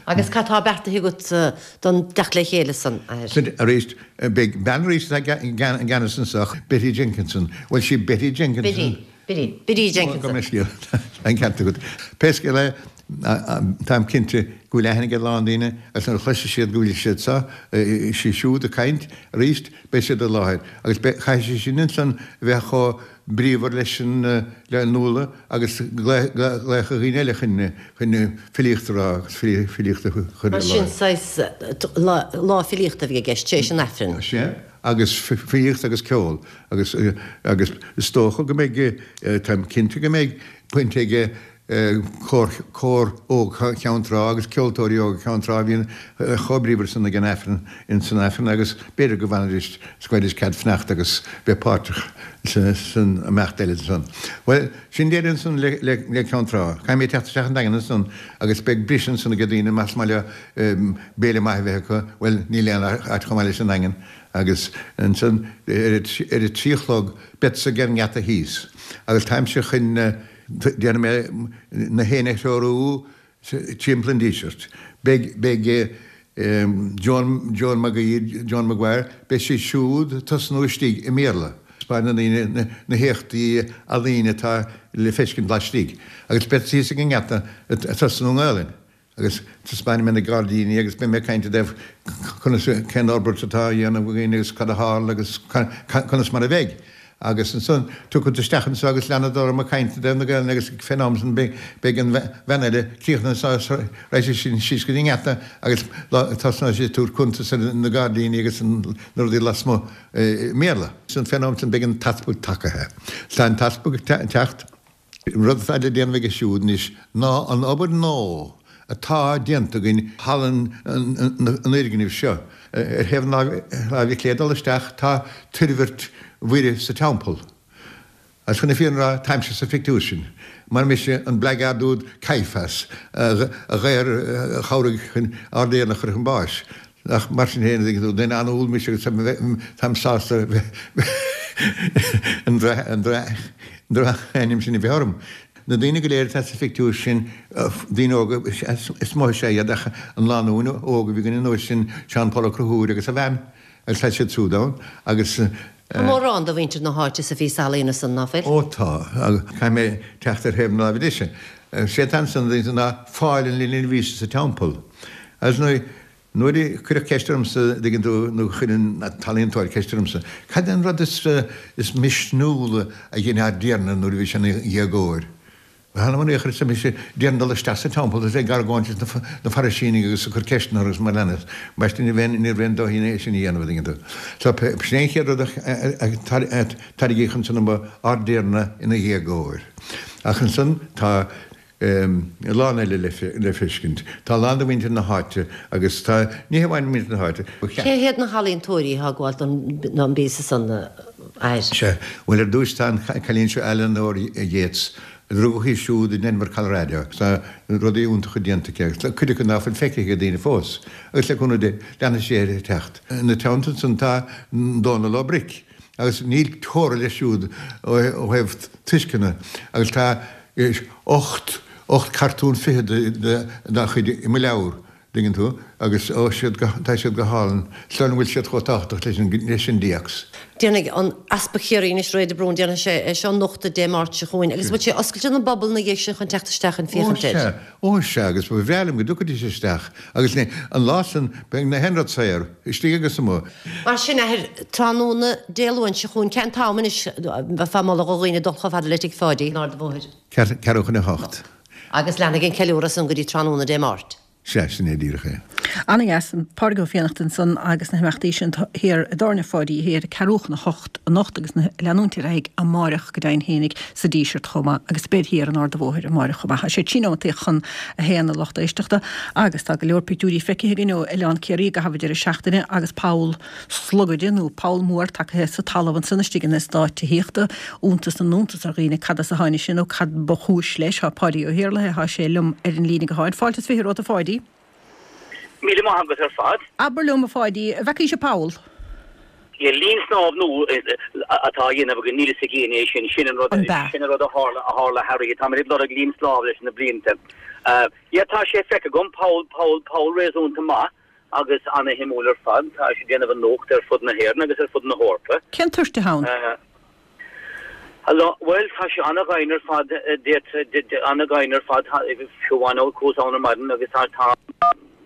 Agus cad tá beartaithe agat don dteacht le chéile san, a Athair? Arís, beidh bean arís atá i gceannas anso, Betty Jenkinson. Bhuel, sí Betty Jenkinson. Biddy, Biddy, Biddy Jenkinson. Gabh mo leithscéal, tá an ceart agat. Pé scéal é, táim cinnte go bhfuil aithne ag a lán daoine agus nuair a chloisfidh siad go bhfuil siad seo, sí siúd ag caint arís, beidh siad i láthair. Agus caithfidh sí sin ansan a bheith chomh bríomhar leis an le Nuala agus glaoch ar dhaoine eile chun chun filíocht a rá agus filíocht a chur i Mar sin láthair. saghas lá filíochta a bhí i gceist tar éis an Aifrinn. Sea, agus filíocht agus ceol agus agus is dócha go mbeidh, táim cinnte go mbeidh baint aige cór, cór óg Cheann Trá agus ceoltóirí óga Cheann Trá a bhíonn chomh bríomhar san ag an Aifreann, ins an Aifreann agus b'fhéidir go bhfanfaidís, go bhfaighidís cead fanacht agus bheith páirteach san imeacht eile ansan. Bhuel, sin deireadh ansan le, le, le Ceann Trá. Caithfidh mé teacht isteach an Daingean ansan agus beidh briseadh ansan ag daoine más maith leo béile maith a bheith acu, bhuel, níl aon áit chomh maith leis an nDaingean agus ansan ar a trí a chlog beadsa ag an ngeata thíos agus táimse chun Déanfaidh mé na héinne a threorú timpeall an Dísirt. Beidh, beidh Joan, Joan Mag Aoidh, Joan Maguire, beidh sí siúd ag tosnú istigh i mBéarla. Taispeánfaidh na daoine na héachtaí ealaíne atá le feiscint laistigh. Agus beadsa thíos ag an ngeata ag tosnú i nGaelainn. Agus taispeánfaidh mé na gairdíní agus beidh mé ag caint i dtaobh conas, cén fhorbairt atá á dhéanamh againn agus cad a tharla agus conas mar a bheidh. Agus ansan tiocfad isteach anso agus leanfad orm ag caint i dtaobh na Gaelainne agus fén am san beidh an bhean eile críochnaithe anso raghaidh sí sin síos go dtí an ngeata agus tosnóidh sí ag tabhairt cuntas ar na gairdíní agus na rudaí lasmuigh i mBéarla. Ansan fén am san beidh an t-easpag tagaithe. Tá an t-easpag ag teacht. An rud atá le déanamh aige siúd anois ná an obair nua atá déanta againn halla an fhoirgnimh seo. Ar thaobh na láimhe clé ag dul isteach tá Toirbhirt Mhuire sa Teampall. Agus chun na fírinne a rá, táimse sa phictiúr sin, mar mise an blackguard úd Caiaphas a dhaor a chabhraigh chun ár dTiarna a chur chun báis. Ach mar sin féin, tuigeann tú, duine an-umhal mise agus táim sásta an drochainm sin a bheith orm. Na daoine go léir atá sa phictiúr sin, daoine óga is mó is ea iad ach an lánúin óg a bhí againn an uair sin, Seán Paul Ó Conchúir agus a bhean, agus tá siad siúd ann agus. Tá mórán de mhuintir na háite sa phíosa ealaíne san, ná fuil? Ó tá. Caithfidh mé teacht ar thaobh na láimhe deise. Sé atá ansan ná fáil an linbh Íosa sa teampall. Agus nuair Nuair a cuireadh ceist ormsa, an dtuigeann tú, nó chuir an t-ealaíontóir ceist ormsa, cad é an rud is misniúla a dhein ár dTiarna nuair a bhí sé ina dhéagóir? Th'anam 'on aochar, arsa mise, déarfainn dul isteach sa teampall agus ag argóint leis na Fairisínigh agus ag cur ceisteanna orthu agus mar leanas. Ambaiste ní raibh aon dóigh é sin a dhéanamh, an dtuigeann tú. So, sin é an chéad rud a tairgíodh ansan dom, ár dTiarna ina dhéagóir. Ach ansan tá. a lán eile le feiscint. Tá a lán de mhuintir na háite agus tá, ní hamháin muintir na háite, ba cheart. Cé hiad na healaíontóirí atá ag gabháil don bpíosa san, a Athair? Sea, bhuel ar dtúis tá an cailín seo Eleanor Yates. Rugadh í siúd i nDenver, Colorado. Tá rudaí iontacha déanta aici agus cuid acu ná fuil feicthe ag daoine fós. Agus le cúnamh Dé, leanfaidh sí uirthi ag teacht. Ina teannta san tá Dónal Ó Bric. Agus níl teora leis siúd ó thaobh tuisceana agus tá 8, 8 cartún fichead dá chuid i mo leabhar, dtuigeann tú, agus ó siad go, tá siad go hálainn, sula bhfuil siad chomh tábhachtach leis an, leis an dtéacs. Déanfaidh an Easpag Chiarraí anois, Ray de Brún, déanfaidh sé é seo a nochtadh Dé Máirt seo chugainn agus bhfuil sé oscailte don bpobal ina dhiaidh sin chun teacht isteach chun Ó féachaint air? sea, ó sea, agus ba bhreá liom go dtiocfaidís isteach agus ní, an lá san, beidh na haon rud saor, istigh agus amuigh. Mar sin, athair, tráthnóna Dé Luain seo chugainn, cén t-am anois a bheifeá ag moladh do dhaoine dul chomh fada le Tigh Pháidí in Ard an Bhóthair? Ceathrú chun a hocht. Agus leanfaidh an ceiliúradh san go dtí tráthnóna Dé Máirt. Sea, sin é díreach é. Ana-dheas, Pádraig Ó Fiannachta ansan agus na himeachtaí sin thiar i dTábhairne Pháidí Thiar ag ceathrú chun a hocht anocht agus ag leanúint ar aghaidh amáireach go deimhin fhéinig sa Díseart chomh maith agus beid thiar an Arda Bhóthair amáireach chomh maith. Tá sé trí nóimeataí chun a haon a lucht éisteachta agus tá go leor pictiúirí feicthe againn ó Oileán Ciarraí i gcaitheamh an deireadh seachtaine agus poll slogaide nó poll mór tagtha sa talamh ansan istigh in eastát tithíochta. Iontas na n-iontas ar dhaoine cad as a tháinig sin nó cad ba chúis leis. Tá Páidí Ó hIarlaithe, tá sé liom ar an líne gutháin. Fáilte is 20 romhat a Pháidí. Míle maith agat ar fad. Abair liom a Pháidí, an bhfeacaís an poll? Yeah, linn snámh nua atá á dhéanamh againn, níl fhios ag éinne é sin, sin an rud, sin an rud a tharla, a tharla Harry, táimid ag lorg linn snámh leis na blianta. Yeah, tá sé feicthe agam, poll, poll, poll réasúnta maith agus ana-shuimiúil ar fad, tá sé ag déanamh an nuacht ar fud na hÉireann agus ar fud na hEorpa. Cén toirt atá ann? Bhuel, tá sé an-dhoimhin ar fad, an-dhoimhin ar fad, fiú amháin ó chuas ann ar maidin agus tá tá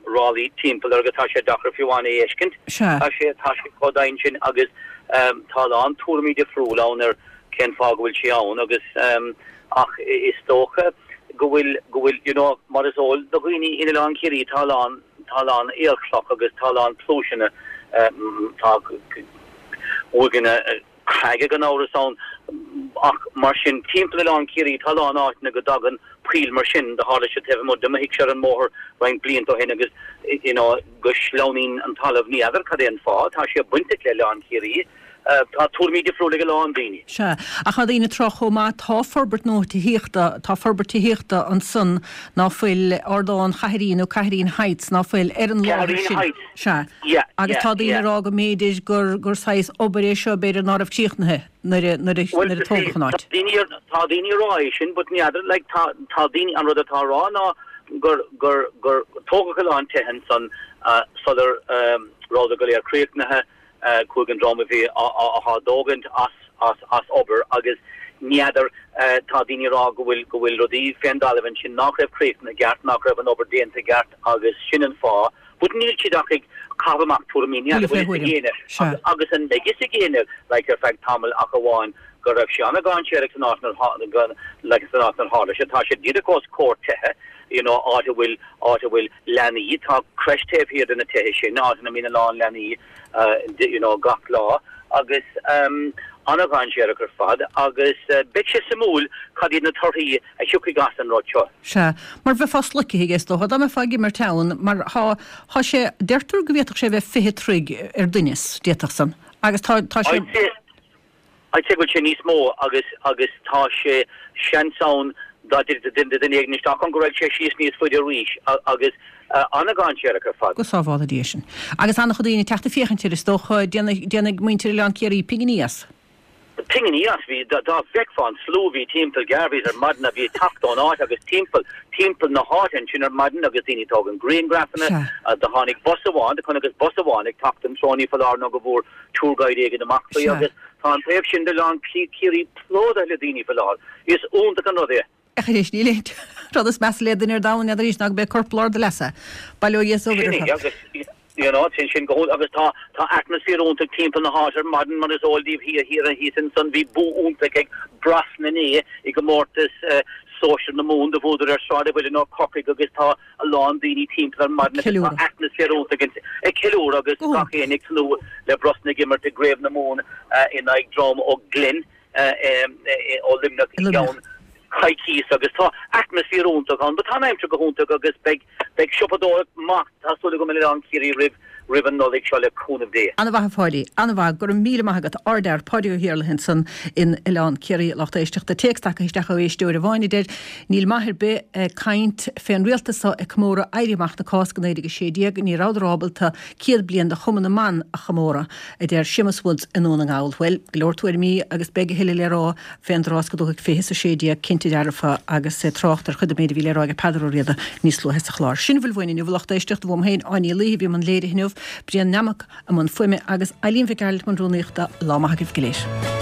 ráillí timpeall air agus tá sé deacair fiú amháin é a fheiscint. Tá sé tá sé chomh doimhin sin agus tá a lán tuairimí difriúil ann ar cén fáth go bhfuil sé ann agus ach is dócha go bhfuil go bhfuil you know mar is eol do dhaoine in Oileán Ciarraí tá a lán tá a lán aolchloch agus tá a lán pluaiseanna tá uaigheanna creige gan amhras ann ach mar sin timpeall Oileán Ciarraí tá a lán áiteanna go dtagann poill mar sin, do tharla sé taobh amuigh de mo thighse ar an mbóthar roinnt blianta ó shin agus you know go sleamhnaíonn an talamh, ní fheadar cad é an fáth, tá sé bainteach le Oileán Ciarraí, tá tuairimí difriúla ag a lán daoine. Sea, ach tá daoine ag trácht chomh maith, tá forbairt nua tithíochta, tá forbairt tithíochta ansan ná fuil Ardán Chathairín nó Cathireen Heights ná fuil ar an láthair sin. Cathireen Heights. Sea. Agus tá daoine ag rá go mb'fhéidir gur gur saghas obair é seo, b'fhéidir ná raibh críochnaithe nuair a nuair a nuair a tógadh an áit. Tá daoine ag rá é sin but ní fheadar, like tá tá daoine, an rud atá á rá ná gur gur gur tógadh a lán tithe ansan sular rabhadar go léir críochnaithe, chuaigh an dream a bhí á á dtógaint as as as obair agus ní fheadar, tá daoine ag rá go bhfuil go bhfuil rudaí fén dtalamh ansin nach raibh críochnaithe i gceart, nach raibh an obair déanta i gceart agus sin an fáth. But níl siad ach ag caitheamh amach tuairimí, ní fheadar bhfuil fhios ag éinne agus an mbeidh fhios ag éinne like ar feadh tamaill ach amháin go raibh sé an-dainséarach san áit nuair like san áit inar tharla sé. Tá sé díreach os comhair tithe, you know, áit a bhfuil áit a bhfuil leanaí, tá creche taobh thiar de na tithe sin, áit ina mbíonn a lán leanaí you know gach lá agus um an-dainséarach ar fad agus beidh sé suimiúil cad iad na torthaí a thiocfaidh as an rud seo. Sea, mar bheifeá sloicthe aige is dócha, dá mbeifeá ag imirt ann, mar thá, thá sé, deirtear go bhféadfadh sé a bheith 20 troigh ar doimhneas, d'fhéadfadh san, agus tá, tá sé. I'd say, I'd say go bhfuil sé níos mó agus, agus tá sé, seans ann dá dtitfeadh duine éigin isteach ann go raghadh sé síos níos faide arís agus an-dainséarach ar fad. Go sábhála Dia sinn. Agus an-chuid daoine ag teacht ag féachaint air is dócha, déanfaidh, déanfaidh muintir Oileán Ciarraí pinginí as. Pinginí as, bhí, dá bhfeicfeá an slua a bhí timpeall Garveys ar maidin a bhí ag teacht ón áit agus timpeall, timpeall na háite ansin ar maidin agus daoine ag tógaint grianghrafanna, do tháinig bus amháin, do chonacthas bus amháin ag teacht an treo, ní foláir nó go bhfuair tour guide éigin amach faoi agus tá an taobh sin d'Oileán Ciarraí plódaithe le daoine faoi láthair. Is iontach an rud é. Ach anois níl aon rud is measa le duine ar domhan n'fheadar arís ná go mbeidh corp lár do leasa. Bail ó Dhia is ó Mhuire Sin é, agus you know, sin sin go h-iontach agus tá tá atmaisféar iontach timpeall na háite ar maidin mar is eol daoibh thiar thiar thíos ansan bhí bua iontach ag Brosna inné i gcomórtas sóisir na Mumhan do bhuadar ar Sráid an Mhuilinn ó Corcaigh agus tá a lán daoine timpeall ar maidin agus tá atmaisféar iontach ansin ag ceiliúradh agus gach éinne ag tnúth le Brosna ag imirt i gCraobh na Mumhan in aghaidh dream ó Glen ó Luimneach i gceann coicíos agus tá atmaisféar iontach ann. But tá an aimsir go hiontach agus beidh beidh siopadóireacht maith, tá súil agam in Oileán Ciarraí roimh roimh an Nollaig seo le cúnamh Dé. An-mhaith a Pháidí, an-mhaith. Go raibh míle maith agat. Ardfhear, Páidí Ó hIarlaithe ansan in Oileán Ciarraí, lucht éisteachta. Téacs tagtha isteach ó éisteoir amháin a deir, Níl maith ar bith ag caint fén rialtas so ag comóradh Éirí Amach na Cásca 1916, ní rabhadar ábalta 100 bliain de Chumann na mBan a chomóradh. a deir Séamus Woods i nDún na nGall. Bhuel, go leor tuairimí agus beidh a thuilleadh le rá fén dtráth is go dtabharfaidh 20:16 cinnte dearfa agus trácht ar chuid den méid a bhí le rá ag Peadar Ó Riada níos luaithe sa chlár. Sin a bhfuil uainn inniu, a lucht éisteachta, uaim féin, Áine Ní Laoithe, a bhí i mbun léirithe inniu, Brian Nammock i mbun fuaime agus Eileen Mhic Gearailt i mbun rúnaíochta. Lá maith agaibh go léir.